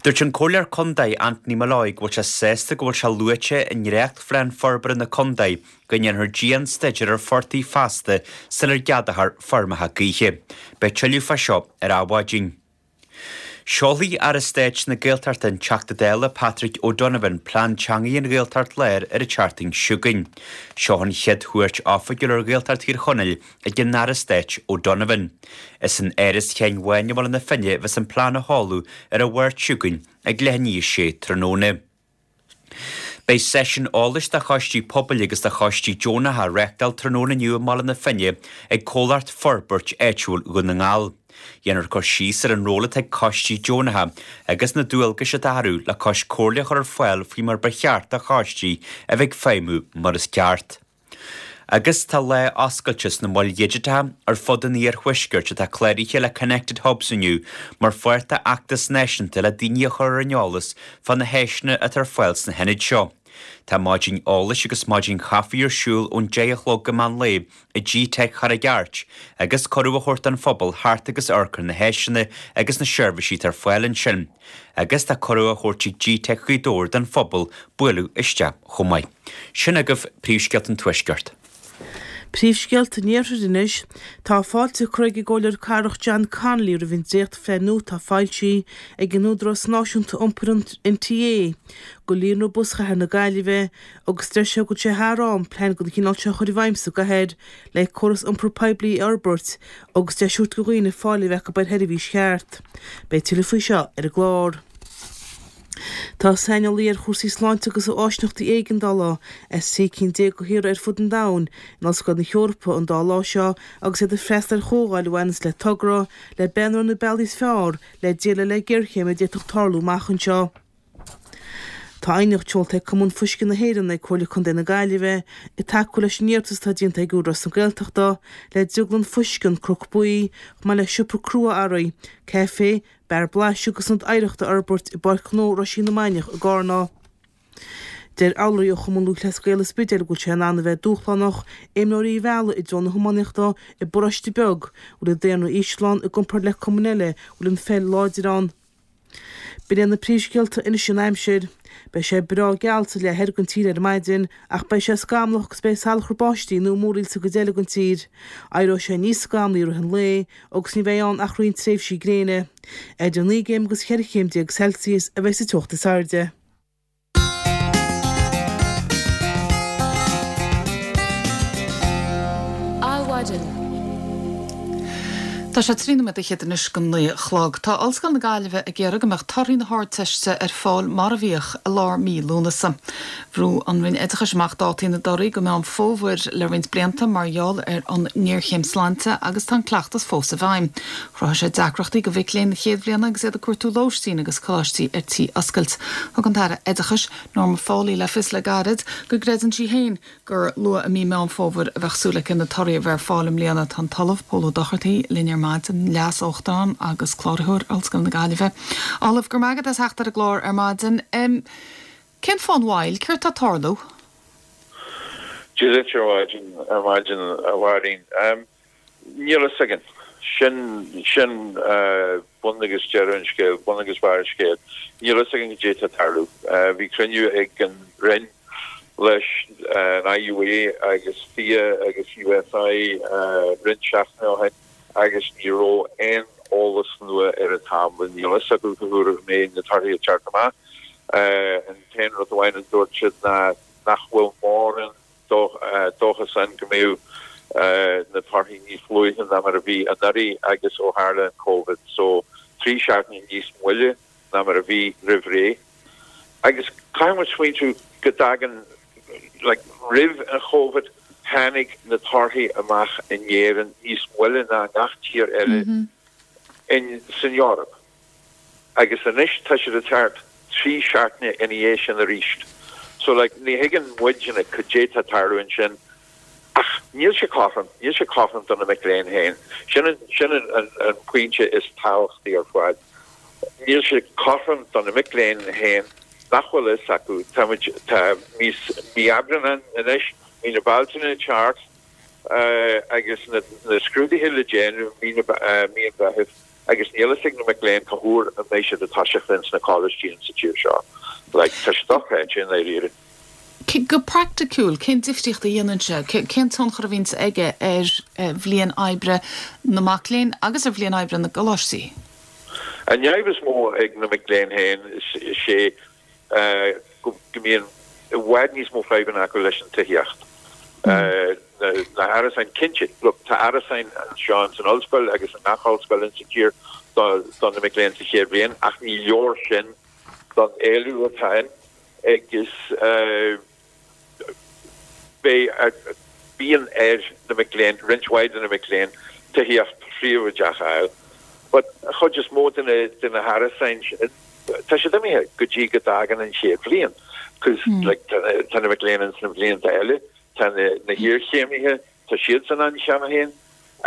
Dúirt an Comhairleoir Contae Anthony Molloy go bhfuil sé sásta go bhfuil sé luaite i ndréachtphlean forbartha na contae go ndéanfar dian-staidéar ar phortaigh feasta sular gceadófar feirmeacha gaoithe. Beidh tuilleadh fá seo ar Adhmhaidin. Seolfaidh Aire Stáit na Gaeltachta an Teachta Dála Patrick O'Donovan Plean Teanga an Ghaeltacht Láir ar an tseachtain seo chugainn. Seo an chéad chuairt oifigiúil ar Ghaeltacht Thír Chonaill ag an Aire Stáit O'Donovan. Is in Áras Sheáin Bháin i mBaile na Finne a bheas an plean á sheoladh ar an Mháirt seo chugainn ag leath i ndiaidh a sé tráthnóna. Beidh seisiún eolais do choistí pobail agus do choistí deonacha á reáchtáil tráthnóna inniu i mBaile na Finne ag Comhlacht Forbairt Áitiúil Dhún na nGall. Dhéanfar cur síos ar an ról atá ag coistí deonacha agus na dualgais atá orthu le cois comhairle a chur ar fáil faoi mar ba cheart do choistí a bheith ag feidhmiú mar is ceart. Agus tá lá oscailte sna moil dhigiteacha ar fud an iarthuaiscirt atá cláraithe le Connected Hubs inniu mar pháirt d'fheachtas náisiúnta le daoine a chur ar an eolas fá na háiseanna atá ar fáil sna hionaid seo. Tá maidin eolais agus maidin chaife ar siúl ón 10 a chlog go meán lae i GTeic Charraig Airt agus cuireadh á thabhairt don phobal theacht agus amharc ar na háiseanna agus na seirbhísí atá ar fáil ansin. Agus tá cuireadh á thabhairt ag GTeic Ghaoth Dobhair don phobal bualadh isteach chomh maith. Sin agaibh príomhscéalta an Tuaiscirt. Príomhscéalta an Iarthair anois. Tá fáilte curtha ag an gComhairleoir Cathrach John Connolly roimh an dréachtphlean nua atá foilsithe ag an Údarás Náisiúnta Iompair, an NTA, do líonra bus chathair na Gaillimhe agus deir sé go bhfuil sé thar am plean den chineál seo a chur i bhfeidhm sa gcathair le córas iompair poiblí a fhorbairt agus deis a thabhairt do dhaoine fáil a bheith acu ar sheirbhís cheart. Beidh tuilleadh faoi seo ar an gclár. Tá saineolaí ar chúrsaí sláinte agus áisíneachtaí éigeandála as 13 cinn de thíortha ar fud an domhain in Ollscoil na hEorpa an dá lá seo agus iad ag freastal ar chomhdháil a bhaineanns le togra le breathnú ar na bealaí is fearr le déileáil le géarchéim a d'fhéadfadh tarlú amach anseo. Tá aighneacht seolta ag Cumann Fuisce na hÉireann ag Comhairle Contae na Gaillimhe ag tacú leis an iarratas atá déanta ag Údarás na Gaeltachta le drioglann fuisce An Cnoc Buí chomh maith le siopa crua-earraí, caife, Beár blaiseadh agus ionad oidhreachta a fhorbairt i bPáirc Ghnó Roisín na Mainiach i gCarna. Deir urlabhraí ó Chumann Lúthchleas Gael an Spidéil go bhfuil sé in ann a bheith dúshlánach imreoirí a mhealladh i dtreo na hiománaíochta i bparóiste beag a bhfuil an daonra íseal ann i gcomparáid le cumainn eile a bhfuil an pheil láidir ann. B'in iad na príomhscéalta anois an aimsir. Beidh sé breá geal sa leath thoir den tír ar maidin ach beidh sé scamallach agus beidh salachar báistí nó múraíl sa gcuid eile den tír. Éireoidh sé níos scamallaí i rith an lae agus ní bheidh ann ach roinnt tréimhsí gréine. Idir 9 gcéim agus 14 chéim Celsius a bheidh sa teocht is airde. Adhmhaidin. Tá sé 13 nóiméad anois go 9 a chlog. Tá Ollscoil na Gaillimhe ag iarraidh go mbeadh torthaí na hArdteiste ar fáil mar a bhíodh i lár mí Lúnasa. Bhrú an Roinn Oideachais amach dátaí na dtorthaí go Meán Fómhair le roinnt blianta mar gheall ar an ngéarchéim sláinte agus tá an cleachtas fós i bhfeidhm. Chruthaigh sé deacrachtaí do mhic léinn na chéad bhliana agus iad ag cuartú lóistín agus coláistí ar tí oscailt. Thug an tAire Oideachais, Norma Foley le fios le gairid go gcreideann sí féin gur luath i mí Meán Fómhair a bheadh súil aici na torthaí a bheith ar fáil i mbliana. Tá an tOllamh Pól Ó Dochartaigh linn ar maidin, Leas-Uachtarán agus Cláraitheoir Ollscoil na Gaillimhe. Ollamh, go raibh maith agat as theacht ar an gclár ar maidin. Cén fáth an mhoill? Céard tá ag tarlú? Dia duit ar maidin, ar maidin, a Mháirín. Níl a fhios againn. Sin, sin bun agus deireadh an scéil, bun agus barr an scéil. Níl a fhios againn cad é atá ag tarlú. Bhí cruinniú ag an Roinn leis an IUA agus FIA agus USI roinnt seachtainí ó shin. agus ní raibh aon eolas nua ar an tábla. Níl a fhios acu cá huair a mbeidh na torthaí ag teacht amach. An t-aon rud amháin a dúirt siad ná nach bhfuil mórán dóchas ann go mbeadh na torthaí níos luaithe ná mar a bhí anuraidh agus ó tharla an Covid. So, 3 seachtaine níos moille ná mar a bhí roimh ré. Agus caithfidh muid smaointiú go dtagann, like, roimh an Chovid, tháinig na torthaí amach in Éirinn níos moille ná gach tír eile in, san Eoraip. Agus anois tá siad ag teacht 3 seachtaine ina dhiaidh sin arís. So, like, ní thuigeann muidne cad é tá ag tarlú ansin ach níl sé cothrom, níl sé cothrom do na mic léinn féin. Sin an, sin an, an, an pointe is tábhachtaí ar fad. Níl sé cothrom do na mic léinn féin nach bhfuil fhios acu. Tá muid, tá mí, mí Aibreán ann anois, mí na Bealtaine ag teacht agus na, na scrúduithe le déanamh mí na, mí an Mheithimh agus níl fhios ag na mic léinn cá huair a mbeidh siad ag toiseacht ins na coláistí insa tír seo. Like, tá sé dochreidte i ndáiríre. Go praiticiúil, cén difríocht a dhéanann sé? Cén tionchar a bhíonns aige ar bhliain oibre na mac léinn agus ar bhliain oibre na gcoláistí? An fhadhb is mó ag na mic léinn féin, is é go mbíonn i bhfad níos mó fadhbanna acu leis an tithíocht. Na hárasáin, cinnte, look, tá árasáin anseo ins an ollscoil agus i ngach ollscoil ins an tír do na mic léinn sa chéad bhliain ach ní leor sin don éileamh atá ann agus beidh, bíonn ar na mic léinn, roinnt mhaith de na mic léinn, tithíocht phríobháideach a fháil. But an chuid is mó de na, de na hárasáin sin, tá siad imithe go dtí go dtagann an chéad bhliain. Cos like tá na, tá na mic léinn ins na blianta eile, tá na, na hiarchéimithe, tá siadsan ann cheana féin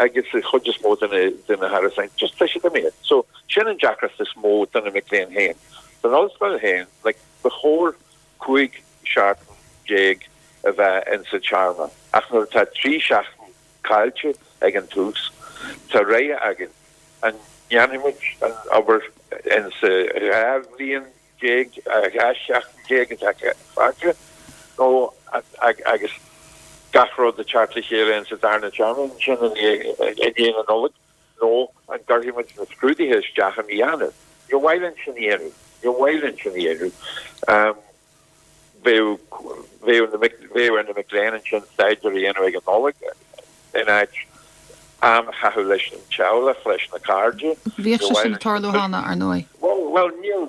agus an chuid is mó de na, de na hárasáin, just tá siad imithe. So sin an deacracht is mó do na mic léinn féin. Don ollscoil féin, like ba chóir 15 seachtain a bheith insa téarma, ach nuair atá 3 seachtain caillte ag an tús, tá rogha againn, an ndéanfaidh muid an obair insa 12 bhliain, 12 sheachtain atá fágtha, nó agus gach rud ag teacht le chéile insa darna téarma ansin i ndiaidh na Nollag, nó an gcuirfidh muid na scrúduithe isteach i mí Eanáir? Níor mhaith linn sin a dhéanamh. Níor mhaith linn sin a dhéanamh. Bheadh, bheadh na mic, bheadh ar na mic léinn ansin staidéar a dhéanamh ag an Nollaig in áit am a chaitheamh leis an teaghlach, leis na cairde. Bhíodh sé sin ag tarlú cheana, ar ndóigh. Bhuel, bhuel, níl,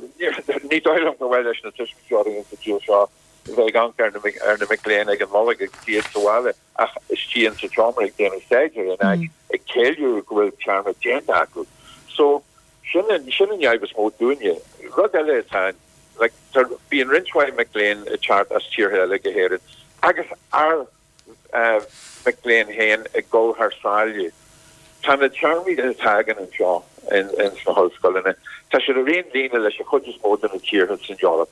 ní dóigh liom gur mhaith leis na tuismitheoirí insa tír seo a bheith ag amharc ar na, ar na mic léinn ag an Nollaig agus iad sa bhaile. ach istigh insa tseomra ag déanamh staidéir in áit ag ceiliúradh go bhfuil téarma déanta acu. So, sin an, sin an fhadhb is mó dúinne. Rud eile atá ann, like, tá, bíonn roinnt mhaith mic léinn ag teacht as tíortha eile go hÉirinn agus ár mic léinn féin ag dul thar sáile. Tá na téarmaí atá againn anseo in, ins na hollscoileanna, tá siad ar aon líne leis an chuid is mó de na tíortha san Eoraip.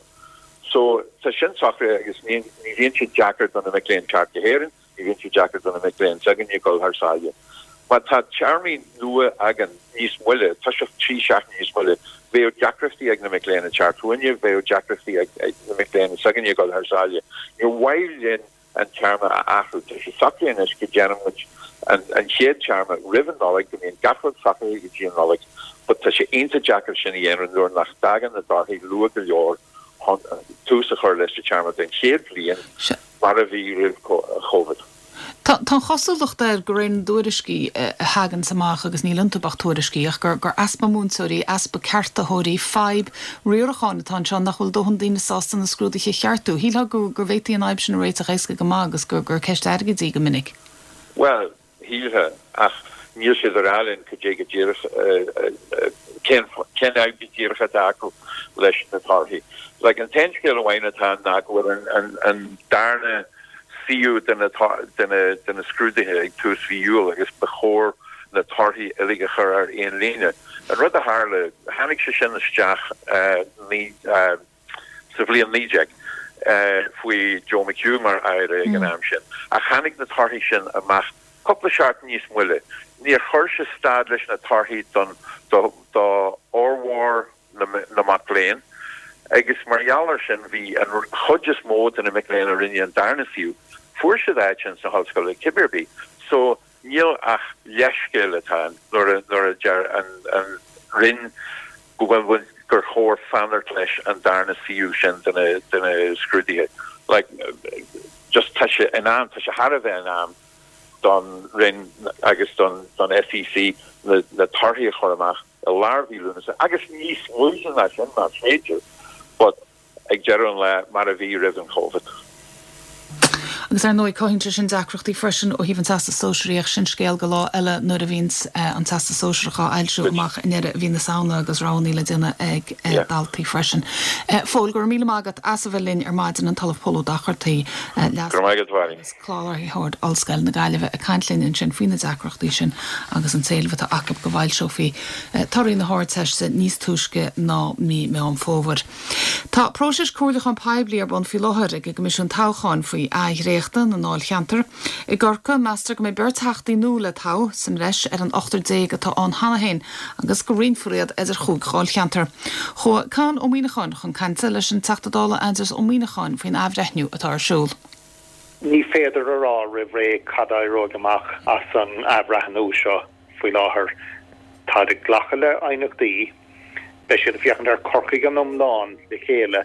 So, tá sin socraithe agus ní bhíonn sé deacair do na mic léinn teacht go hÉirinn, ní bhíonn sé deacair do na mic léinn s'againne dul thar sáile. Má tá téarmaí nua againn níos moille, toiseacht 3 seachtaine níos moille, bheadh deacrachtaí ag na mic léinn ag teacht chugainne, bheadh deacrachtaí ag na mic léinn s'againne dul thar sáile. Níor mhaith linn an téarma a athrú. Tá sé socraithe anois go ndéanann muid an chéad téarma roimh an Nollaig, go mbíonn gach rud socraithe go dtí an Nollaig, but tá sé iontach deacair sin a dhéanamh nuair nach dtagann na torthaí luath go leor chun tús a chur leis an téarma don chéad bhliain mar a bhí roimh Covid. Tá an chosúlacht air, de réir na dtuairiscí a thaganns amach, agus níl iontu ach tuairiscí, ach gur easpa múinteoirí, easpa ceartaitheoirí, fadhb riaracháin atá anseo, nach bhfuil dóthain daoine sásta na scrúduithe a cheartú. Shílfeá go bhféadfaí an fhadhb sin a réiteach éasca go maith agus gur ceist airgid í go minic. Bhuel, shílfeá, ach níl siad ag rá linn cad é go díreach, cén fhadhb go díreach atá acu leis na torthaí. Like, an t-aon scéal amháin atá ann ná go bhfuil an darna suíomh de na scrúduithe ag tús mhí Iúil agus ba chóir na torthaí uilig a chur ar aon líne. An rud a tharla, tháinig sé sin isteach sa bhliain 19 faoi Joe McHugh mar Aire ag an am sin, ach tháinig na torthaí sin amach cúpla seachtain níos moille. Níor chuir sé stad leis na torthaí don do fhormhór na mac léinn agus mar gheall air sin bhí an chuid is mó de na mic léinn a rinne an darna suíomh, fuair siad áit ins na hollscoileanna cibé ar bith. So níl ach leithscéal atá ann nuair a nuair a deir an an Roinn go bhfuil gur chóir fanacht leis an darna suíomh sin de na de na scrúduithe. Like just tá sé in am, tá sé thar a bheith in am don Roinn agus don don SEC na na torthaí a chur amach i lár mhí Lúnasa, agus níos luaithe ná sin más féidir, but ag deireadh an lae, mar a bhí roimh an Covid. Agus ar ndóigh cothaíonn sé sin deacrachtaí freisin ó thaobh an Teastas Sóisearaigh ach sin scéal go lá eile nuair a bhíonns an Teastas Sóisearach á fhoilsiú amach i ndeireadh mhí na Samhna agus roghanna le déanamh ag daltaí freisin. Phóil, go raibh míle maith agat as a bheith linn ar maidin, an tOllamh Pól Ó Dochartaigh, Leas. Go raibh maith agat, a Mháirín. Cláraitheoir Ollscoil na Gaillimhe ag caint linn ansin faoi na deacrachtaí sin agus an t-éileamh atá acu go bhfoilseofaí torthaí na hArdteiste níos túisce ná mí Meán Fómhair. Tá próiseas comhairliúcháin poiblí ar bun faoi láthair ag an gCoimisiún Toghcháin faoi athdhréachtadh na ndáilcheantar. I gCorcaigh, meastar go mbeidh beirt Theachtaí nua le toghadh, sa mbreis ar an ochtar déag atá ann cheana féin, agus go roinnfear iad idir chúig dháilcheantar. Chuaigh Conn Ó Muíneacháin chun cainte leis an Teachta Dála Aindrias Ó Muíneacháin faoin athbhreithniú atá ar siúl. Ní féidir a rá roimh ré cad a éireoidh amach as an athbhreithniú seo faoi láthair. Táid ag glacadh le haighneachtaí. Beidh siad ag féachaint ar Corcaigh in iomlán le chéile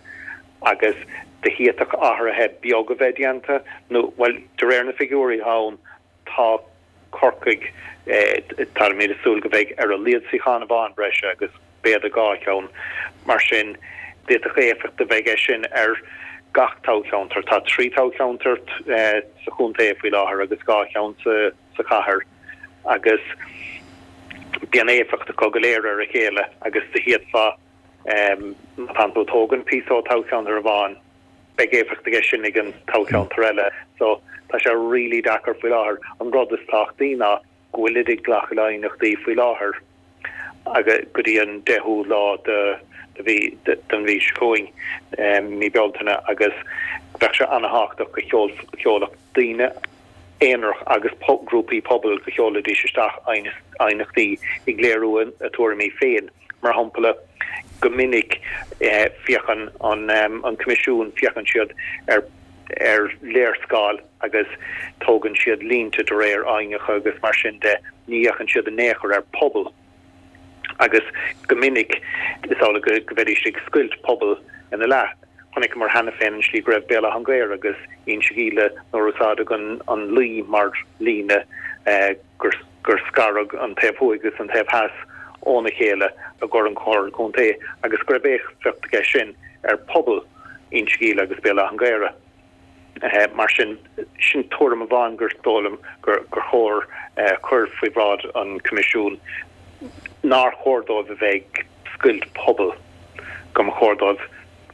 agus d'fhéadfadh athruithe beag a bheith déanta nó, bhuel, de réir na figiúirí atá ann, tá Corcaigh, táimid ag súil go mbeidh ar a laghad suíochán amháin breise agus b'fhéidir dhá cheann. Mar sin, d'fhéadfadh éifeacht a bheith aige sin ar gach toghcheantar. Tá 3 toghcheantar sa chontae faoi láthair agus dhá cheann sa chathair agus bíonn éifeacht acu go léir ar a chéile agus d'fhéadfá, má tánn tú ag tógaint píosa ó toghcheantar amháin, beidh éifeacht aige sin ag an toghcheantar eile. So, tá sé really deacair faoi láthair. An rud is tábhachtaí ná go bhfuilid ag glacadh le haighneachtaí faoi láthair agus go dtí an 10ú lá de de mhí den mhí seo chugainn, mí Bealtaine, agus bheadh sé an-thábhachtach go sheolfadh daoine aonarach agus grúpaí pobail go sheolfaidís isteach aighneachtaí ag léiriú a tuairimí féin. Mar shampla, go minic féachann an Coimisiún, féachann siad ar ar léarscáil agus tógann siad línte de réir aibhneacha agus mar sin de, ní fhéachann siad in aon chor ar pobal. Agus go minic is amhlaidh go mbeidís ag scoilt pobal ina leath. Chonaiceamar cheana féin an slí go raibh Béal Átha an Ghaorthaidh agus Inse Gile nuair a úsáideadh an Laoi mar líne gur gur scaradh an taobh thuaidh agus an taobh theas óna chéile i gcomhair an Chomhairle Contae agus go raibh éifeacht aige sin ar pobal Inse Gile agus Béal Átha an Ghaorthaidh. Mar sin, sin tuairim amháin gur dóigh liom gur chóir cur faoi bhráid an Choimisiúin, nár chóir dóibh a bheith ag scoilt pobal, go mba chóir dóibh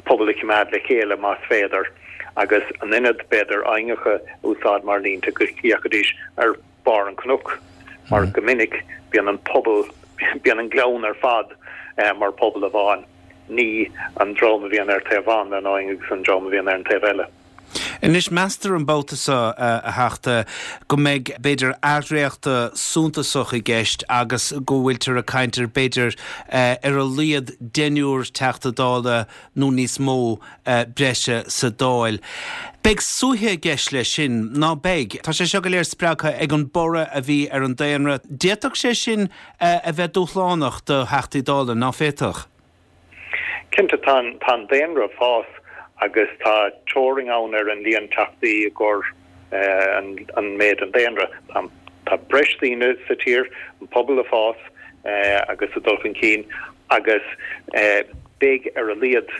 pobal a choimeád le chéile más féidir, agus in ionad, b'fhéidir, aibhneacha a úsáid mar línte, go bhféachfaidís ar barr an chnoic, mar go minic bíonn an pobal, bíonn an gleann ar fad mar phobal amháin, ní an dream a bhíonn ar taobh amháin den abhainn agus an dream a bhíonn ar an taobh eile. Anois, meastar an babhta seo, a Theachta, go mbeidh, b'fhéidir, athdhréachtadh suntasach i gceist agus go bhfuiltear ag caint ar, b'fhéidir, ar a laghad deichniúr Teachta Dála nó níos mó breise sa Dáil. Beidh suaitheadh i gceist leis sin, ná beidh? Tá sé seo go léir spreagtha ag an borradh a bhí ar an daonra. D'fhéadfadh sé sin a bheith dúshlánach do Theachtaí Dála, ná féadfadh? Cinnte, tá an daonra ag fás agus tá teorainn ann ar an líon Teachtaí i gcomhair an méid an daonra. Tá breis daoine sa tír, an pobal ag fás agus ag dul chun cinn agus beidh ar a laghad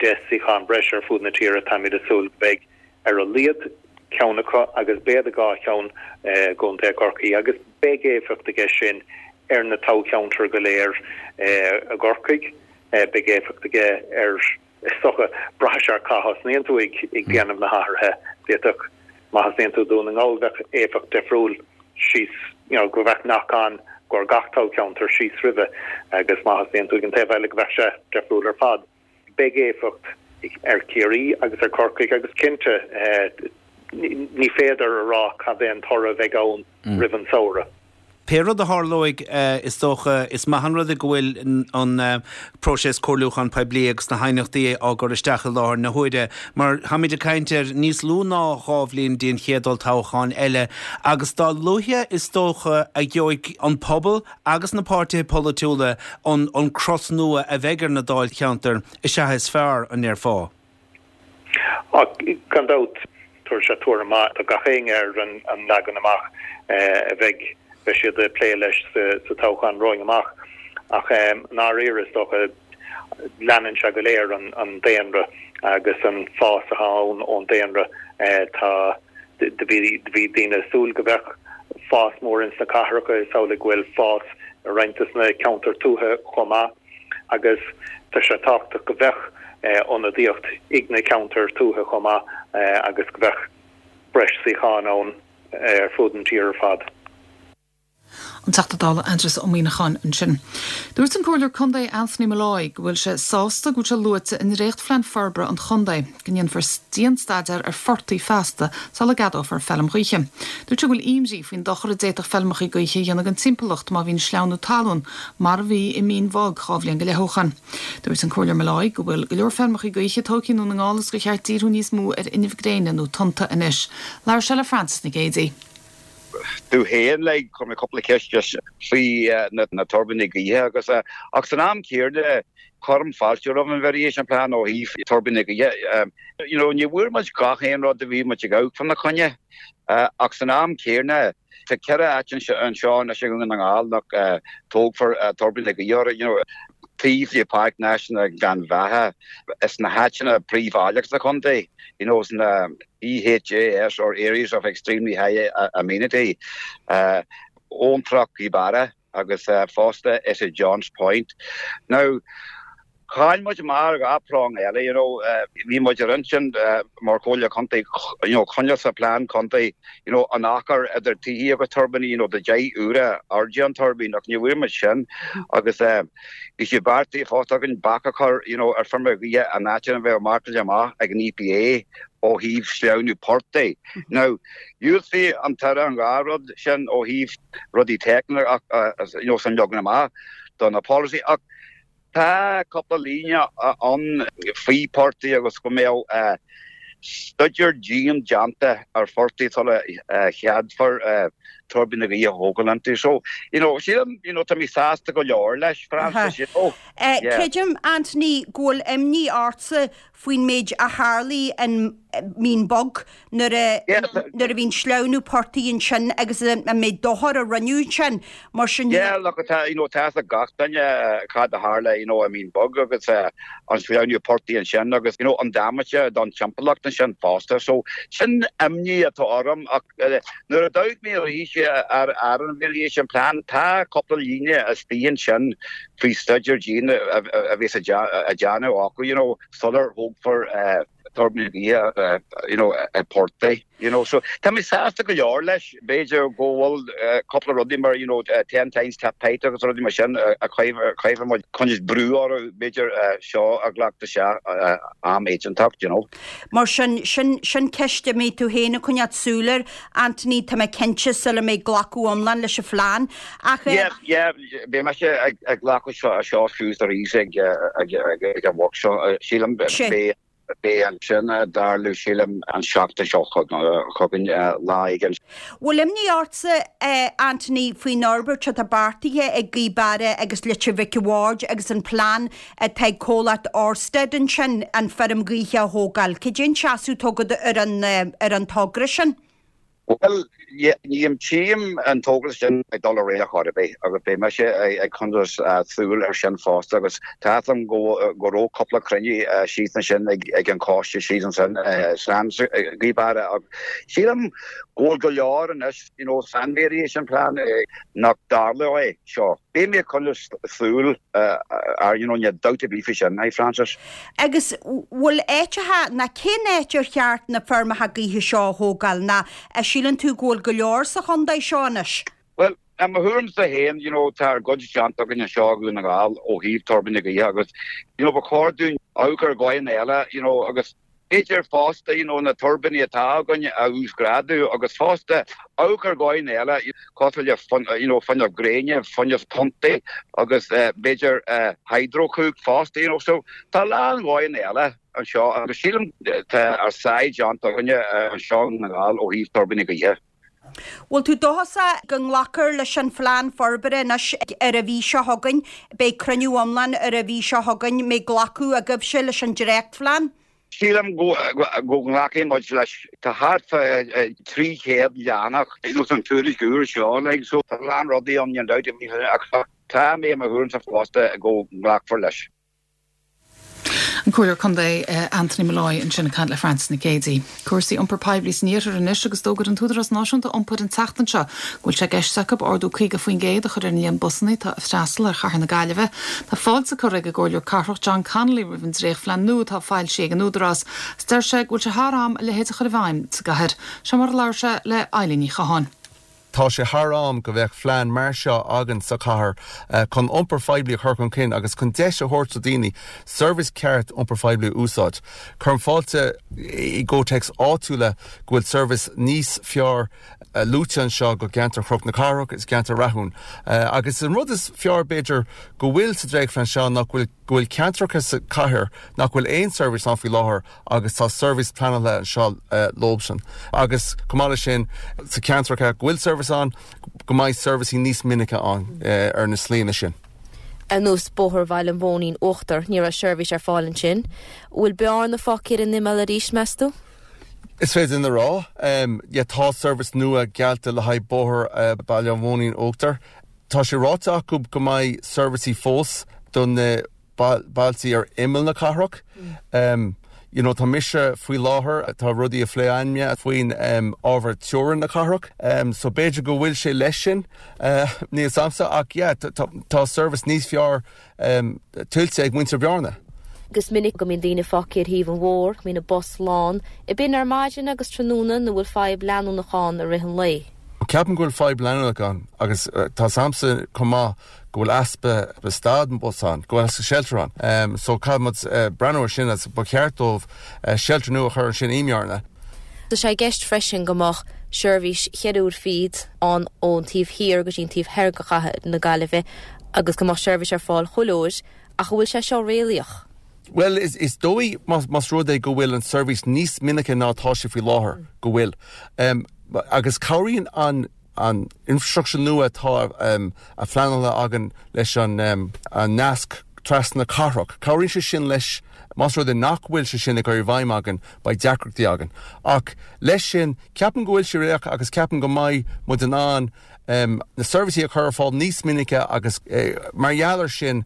10 suíochán breise ar fud na tíre, táimid ag súil go mbeidh ar a laghad ceann acu agus b'fhéidir dhá cheann i gContae Chorcaí agus beidh éifeacht aige sin ar na toghcheantair go léir i gCorcaigh, beidh éifeacht aige ar Is dócha, braithfidh sé ar cá thosnaíonn tú ag déanamh na hathruithe. D'fhéadfadh, má thosnaíonn tú i Dún na nGall, bheadh éifeacht difriúil síos, you know, go mbeadh nach ann i gcomhair gach toghcheantar síos roimhe agus má thosnaíonn tú ag an taobh eile go mbeadh sé difriúil ar fad. Beidh éifeacht ar Chiarraí agus ar Corcaigh agus cinnte ní féidir a rá cad é an toradh a bheidh ann roimh an samhradh. Pé rud a tharlóidh, is dócha, is maith an rud é go bhfuil an próiseas comhairliúcháin poiblí agus na haighneachtaí á gcur isteach i láthair na huaire, mar táimid ag caint ar níos lú ná dhá bhliain dtí an chéad olltoghchán eile, agus dá luaithe is dócha a gheobhaidh an pobal agus na páirtithe polaitiúla an crot nua a bheidh ar na dáilcheantair, is ea is fearr, an ndéarfá? Ach gan dabht, tabharfaidh sé tuairim mhaith do gach éinne ar an leagan amach a bheidh beidh siad ag plé leis sa toghchán romhainn amach. Ach i ndáiríre, is dócha, leanann sé go léir an daonra agus an fás atá ann ón daonra. Tá. Do bhí do bhí daoine ag súil go mbeadh fás mór ins na cathracha, is amhlaidh go bhfuil fás i roinnt des na ceantair tuaithe chomh maith agus tá sé tábhachtach go mbeadh ionadaíocht ag na ceantair tuaithe chomh maith agus go mbeadh breis suíochán ann ar fud an tír ar fad. An Teachta Dála Aindrias Ó Muimhneacháin ansin. Dúirt an Comhairleoir Contae Anthony Molloy go bhfuil sé sásta go bhfuil sé luaite i ndréachtphlean forbartha an chontae go ndéanfar dianstaidéar ar phortaigh feasta sula gceadófar feilm ghaoithe. Dúirt sé go bhfuil imní faoin dochar a d'fhéadfadh feilmeacha gaoithe a dhéanamh don timpeallacht má bhíonn sleamhnú talún mar a bhí i Mín Bhog 2 bhliain go leith ó shoin. Dúirt an Comhairleoir Molloy go bhfuil go leor feilmeacha gaoithe tógtha i nDún na nGall is gur cheart díriú níos mó ar fhuinneamh gréine nó tonnta anois. Labhair sé le Frances Nic Géadaigh. Tú féin, like, chuir mé cúpla ceist just faoi na tuirbíní gaoithe agus, ach san am céanna, cuirim fáilte roimh an Variation Plan ó thaobh tuirbíní gaoithe. You know, ní bhfuair muid gach aon rud a bhí muid ag amharc fána choinne, ach san am céanna, tá 4 áit anseo anois i nDún na nGall nach dtógfar tuirbíní gaoithe orthu, you know, taobh le Páirc Náisiúnta Ghleann Bheatha, is na háiteanna príomhbhaileach sa chontae, you know, sna EHAs or Areas of Extremely High Amenity, Abhantrach Ghaoth Beara agus fosta is i Johns Point. Now, chaill muid amach ar 2 prong eile, you know, bhí muid ar intinn mar Chomhairle Contae, you know, coinneáil sa plean contae, you know, an achar idir tithe agus tuirbíní, you know, do 10 uaire airde an tuirbín ach ní bhfuair muid sin agus bhí sé beartaithe fosta againn bac a chur, you know, ar feirmeacha gaoithe in áiteanna a bheadh marcáilte amach ag an EPA ó thaobh sleamhnú portaigh. Now, dhiúltaigh an tAire an dhá rud sin ó thaobh rudaí teicniúla ach, you know, san leagan amach do na polasaí ach tá cúpla líne ann faoi portaigh agus go mbeadh staidéar dian déanta ar phortaigh sula cheadfar tuirbíní gaoithe a thógáil iontu. So, you know, sílim, you know, tá mé sásta go leor leis, Frances, you know. Yeah. Creidim, Anthony, go bhfuil imní ortsa faoin méid a tharlaigh in Mín Bog nuair a nuair a bhí an sleamhnú portaigh ansin agus an méid dochair a rinneadh ansin. Mar sin Yeah, look, tá, you know, tá fhios ag gach duine cad a tharla, you know, i Mín Bog agus an sleamhnú portaigh ansin agus, you know, an damáiste don timpeallacht ansin fosta. So, sin imní atá orm ach nuair a d'amharc mé arís ar ar an variation plan, tá cúpla líne istigh ansin faoi staidéar dian a bheas á déanamh acu, you know, sular thógfar tuirbíní gaoithe, you know, i portaigh, you know. So tá mé sásta go leor leis. B'fhéidir go bhfuil cúpla rudaí mar, you know, ten times tap height agus rudaí mar sin a chaithfidh muid coinneáil brú orthu, b'fhéidir seo a ghlacadh isteach am éigeantach, you know. Mar sin, sin, sin ceist a mbeidh tú féin ag coinneáil súil air, Anthony, tá mé cinnte, sula mbeidh glacadh iomlán leis an phlean. Ach eh. Yeah, yeah, beidh mise ag glacadh seo suas arís ag an workshop, sílim, beidh beidh sin ag tarlú, sílim, an seachtain seo chugainn, lá éigin. Bhfuil imní ortsa, Anthony, faoin fhorbairt atá beartaithe ag Gaoth Beara agus Leitir Mhic a' Bhaird agus an plean atá ag comhlacht Orsted ansin an feirm ghaoithe a thógáil? Cad é an seasamh atá agat ar an ar an togra sin? Bhuel, ní tchím an togra sin ag dul ar aghaidh ar chor ar bith agus beidh mise ag coinneáil súil air sin fosta agus tá fhios agam go raibh cúpla cruinniú síos ansin ag an choiste síos ansin san Gaoth Beara ach sílim go bhfuil go leor anois you know san variation plan nach dtarlóidh é seo. Beidh mé ag coinneáil súil air, you know, níl dabht ar bith faoi sin, a Frances. Agus bhfuil áiteacha, ná cén áit ar cheart na feirmeacha gaoithe seo a thógáil, ná a síleann tú go bhfuil go leor sa chontae seo anois? Bhuel, i mo thuairimse féin, you know, tá ár gcuid déanta againn anseo i Dhún na nGall ó thaobh tuirbíní gaoithe agus, you know, ba chóir dúinn amharc ar dhóigheanna eile, you know, agus B'fhéidir fosta, you know, na tuirbíní atá againn a uasghrádú agus fosta amharc ar dhóigheanna eile cosúil le, you know, fuinneamh gréine, fuinneamh tonnta agus b'fhéidir hydrochumhacht fosta, you know. So tá a lán dhóigheanna eile anseo agus sílim tá ár sáith déanta againne anseo i nDún na nGall ó thaobh tuirbíní gaoithe. Bhfuil tú dóchasach go nglacfar leis an phlean forbartha anois ar an mhí seo chugainn? Beidh cruinniú iomlán ar an mhí seo chugainn. Mbeidh glacadh agaibhse leis an dréachtphlean? Sílim go nglacfaidh muid leis. Tá thart fá 300 leathanach san tuairisc úr seo, like, so tá a lán rudaí ann, níl dabht ar bith, ach tá mé i mo thuairimse fosta go nglacfar leis. An Comhairleoir Contae Anthony Molloy ansin ag caint le Frances Nic Géadaigh. Cúrsaí iompair poiblí san iarthar anois agus d'fhógair an tÚdarás Náisiúnta Iompair an tseachtain seo go bhfuil sé i gceist acu ardú 50% a chur ar an líon busanna atá ag freastal ar chathair na Gaillimhe. Tá fáilte curtha ag an gComhairleoir Cathrach John Connolly roimh an dréachtphlean nua atá foilsithe ag an Údarás agus deir sé go bhfuil sé thar am a leithéid a chur i bhfeidhm sa gcathair. Seo mar a labhair sé le Eilín Ní Chatháin. Tá sé thar am go bheadh phlean mar seo againn sa chathair chun iompar phoiblí a chur chun cinn agus chun deis a thabhairt do daoine seirbhís ceart iompar phoiblí a úsáid. Cuirim fáilte i gcomhthéacs áitiúla go bhfuil seirbhís níos fearr luaite anseo go gceantar Chnoc na Cathrach is gceantar Rathún. Agus an rud is fearr b'fhéidir go bhfuil sa dréachtphlean seo ná go bhfuil go bhfuil ceantracha sa chathair nach bhfuil aon seirbhís ann faoi láthair agus tá seirbhís pleanáilte anseo leobsan. Agus chomh maith leis sin, sa ceantracha go bhfuil seirbhís ann, go mbeidh seirbhísí níos minice ann ar na slíanna sin. Ar nós Bóthar Bhaile an Mhóinín Uachtar, ní raibh seirbhís ar fáil ansin. Bhfuil Bearna fágtha ar an imeall arís, meas tú? Is féidir linn a rá, yeah, tá seirbhís nua geallta le haghaidh Bóthar Baile an Mhóinín Uachtar. Tá sé ráite acu go mbeidh seirbhísí fós do na bailtí ar imeall na cathrach. You know, tá mise faoi láthair, tá rudaí á phlé againne faoin ábhar teorainn na cathrach, so b'fhéidir go bhfuil sé leis sin, níl 's a'msa, ach yeah, tá seirbhís níos fearr tuillte ag muintir Bhearna. Is minic go mbíonn daoine fágtha ar thaobh an bhóthair, go mbíonn an bus lán. Ab in ar maidin agus tráthnóna nó bhfuil fadhb leanúnach ann i rith an lae? Ceapaim go bhfuil fadhb leanúnach ann agus tá 's a'msa chomh maith go bhfuil easpa stad bus ann, go bhfuil easpa shelter ann. So caithfidh muid breathnú ar sin agus ba cheart dóibh shelter nua a chur ansin i mBearna. Tá sé i gceist freisin go mbeadh seirbhís cheithre uair fichead ann ón taobh thiar go dtí an taobh thoir de chathair na Gaillimhe agus go mbeadh seirbhís ar fáil chuile uair, ach an bhfuil sé seo réalaíoch? Bhuel, is dóigh más rud é go bhfuil an seirbhís níos minice ná atá sé faoi láthair, go bhfuil. Agus cabhraíonn an an infrastructure nua atá a phleanáilte againn leis an nasc trasna cathrach, cabhraíonn sé sin leis, más rud é nach bhfuil sé sin ag cur i bhfeidhm againn, beidh deacrachtaí againn. Ach leis sin, ceapaim go bhfuil sé réalaíoch agus ceapaim go mbeidh muid in ann na seirbhísí a chur ar fáil níos minice agus mar gheall ar sin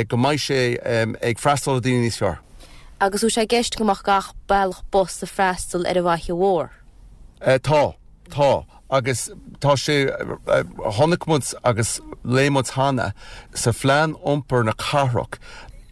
go mbeidh sé ag freastal ar daoine níos fearr. Agus bhfuil sé i gceist go mbeadh gach bealach bus ag freastal ar an bhFaiche Mhór? Tá. Tá. Agus tá sé, chonaic muid agus léigh muid cheana sa phlean iompair na cathrach,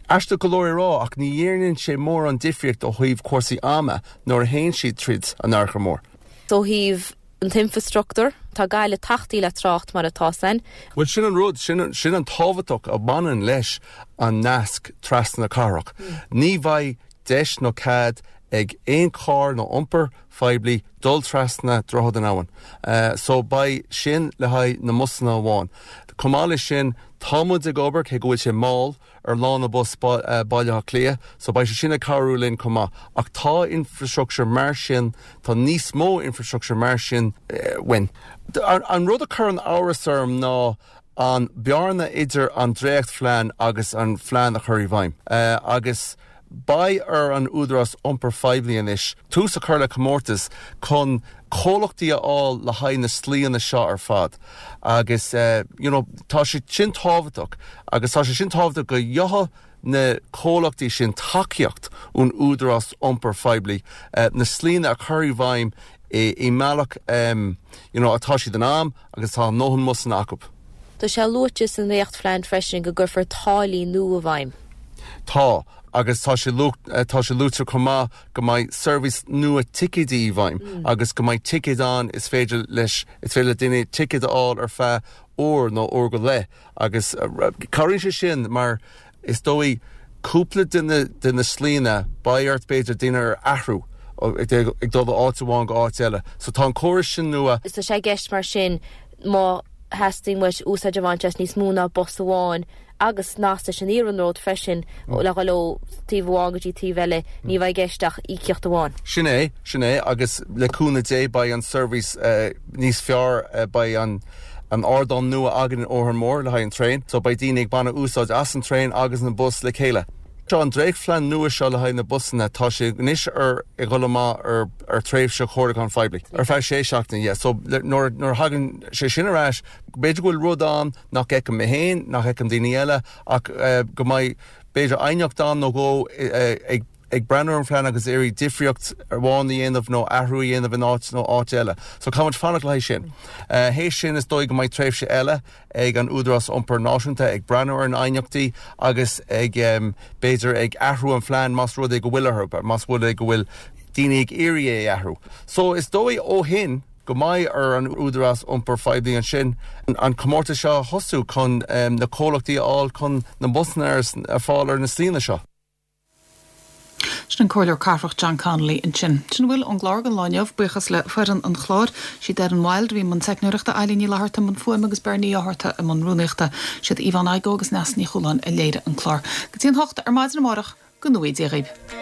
aisteach go leor a rá ach ní dhéanann sé mórán difríocht ó thaobh cúrsaí ama nuair a théann siad tríd an Fhaiche Mhór. Ó thaobh an t-infreastruchtúr, tá Gaillimh tachtaí le trácht mar atá san. Bhuel sin an rud, sin sin an tábhachtach a bhaineann leis an nasc trasna na cathrach. Ní bheidh deis nó cead ag aon charr nó iompar phoiblí dul trasna Droichead an Abhainn. So beidh sin le haghaidh na mbusanna amháin. Chomh maith leis sin, tá muid ag obair, cé go bhfuil sé mall, ar lána bus Baile Átha Cliath, so beidh sé sin ag cabhrú linn chomh maith. Ach tá infrastructure mar sin, tá níos mó infrastructure mar sin uainn. An rud a chuireann amhras orm ná an bearna idir an dréachtphlean agus an phlean a chur i bhfeidhm. Agus beidh ar an Údarás Iompair Phoiblí anois tús a chur le comórtas chun comhlachtaí a fháil le haghaidh na slíanna seo ar fad. Agus you know tá sé sin tábhachtach agus tá sé sin tábhachtach go gheobhaidh na comhlachtaí sin tacaíocht ón Údarás Iompair Phoiblí na slíanna a chur i bhfeidhm i mbealach you know atá siad in am agus tá a ndóthain mbusanna acu. Tá sé luaite sa ndréachtphlean freisin go gcuirfear táillí nua i bhfeidhm. Tá, agus tá sé tá sé luaite chomh maith go mbeidh seirbhís nua ticéidí i bhfeidhm agus go mbeidh ticéid ann is féidir leis is féidir le duine ticéad a fháil ar feadh uair nó uair go leith agus cabhraíonn sé sin mar is dóigh cúpla de na de na slíanna beidh ort b'fhéidir daoine a athrú ag dul ó áit amháin go áit eile. So tá an córas sin nua. Tá sé i gceist mar sin má theastaíonn uait úsáid a bhaint as níos mó ná bus amháin agus nasc leis an iarnród freisin le dhul ó taobh amháin go dtí taobh eile, ní bheidh i gceist ach íocaíocht amháin. Sin é, sin é agus le cúnamh Dé beidh an seirbhís níos fearr, beidh an an ardán nua againn in Órán Mór le haghaidh an traein so beidh daoine ag baint úsáid as an traein agus an bus le chéile. Seo an dréachtphlean nua seo le haghaidh na busanna, tá sé anois ar ag dhul amach ar ar tréimhse chomhairliúcháin phoiblí ar feadh sé seachtaine, yeah, so nuair nuair a thagann sé sin ar ais, b'fhéidir go bhfuil rud ann nach bhfeicim mé féin, nach bhfeiceann daoine eile ach go mbeidh. b'fhéidir aighneacht ann nó dhó ag ag breathnú ar an phlean agus iarraidh difríocht amháin a dhéanamh nó athrú a dhéanamh in áit nó áit eile. So caithfidh muid fanacht le haghaidh sin. Théis sin is dóigh go mbeidh tréimhse eile ag an Údarás Iompair Náisiúnta ag breathnú ar na haighneachtaí agus ag b'fhéidir ag athrú an phlean más rud é go bhfuil orthu, más rud é go bhfuil daoine ag iarraidh é a athrú. So is dóigh ó shin go mbeidh ar an Údarás Iompair Phoiblí ansin an comórtas seo a thosú chun na comhlachtaí a fháil chun na busanna ar fáil ar na slíanna seo. Sin an Comhairleoir Cathrach John Connolly ansin. Sin a bhfuil ón gclár don lá inniu. Buíochas le foireann an chláir. Siad Erin Wilde a bhí i mbun teicneoireachta, Eilín Ní Fhlatharta i mbun fuaime agus Bernie Ní Fhátharta i mbun rúnaíochta. Siad Yvonne Igoe agus Neasa Ní Chualáin a léirigh an clár. Go dtí an hocht ar maidin amárach, go ngnóthaí Dia dhaoibh.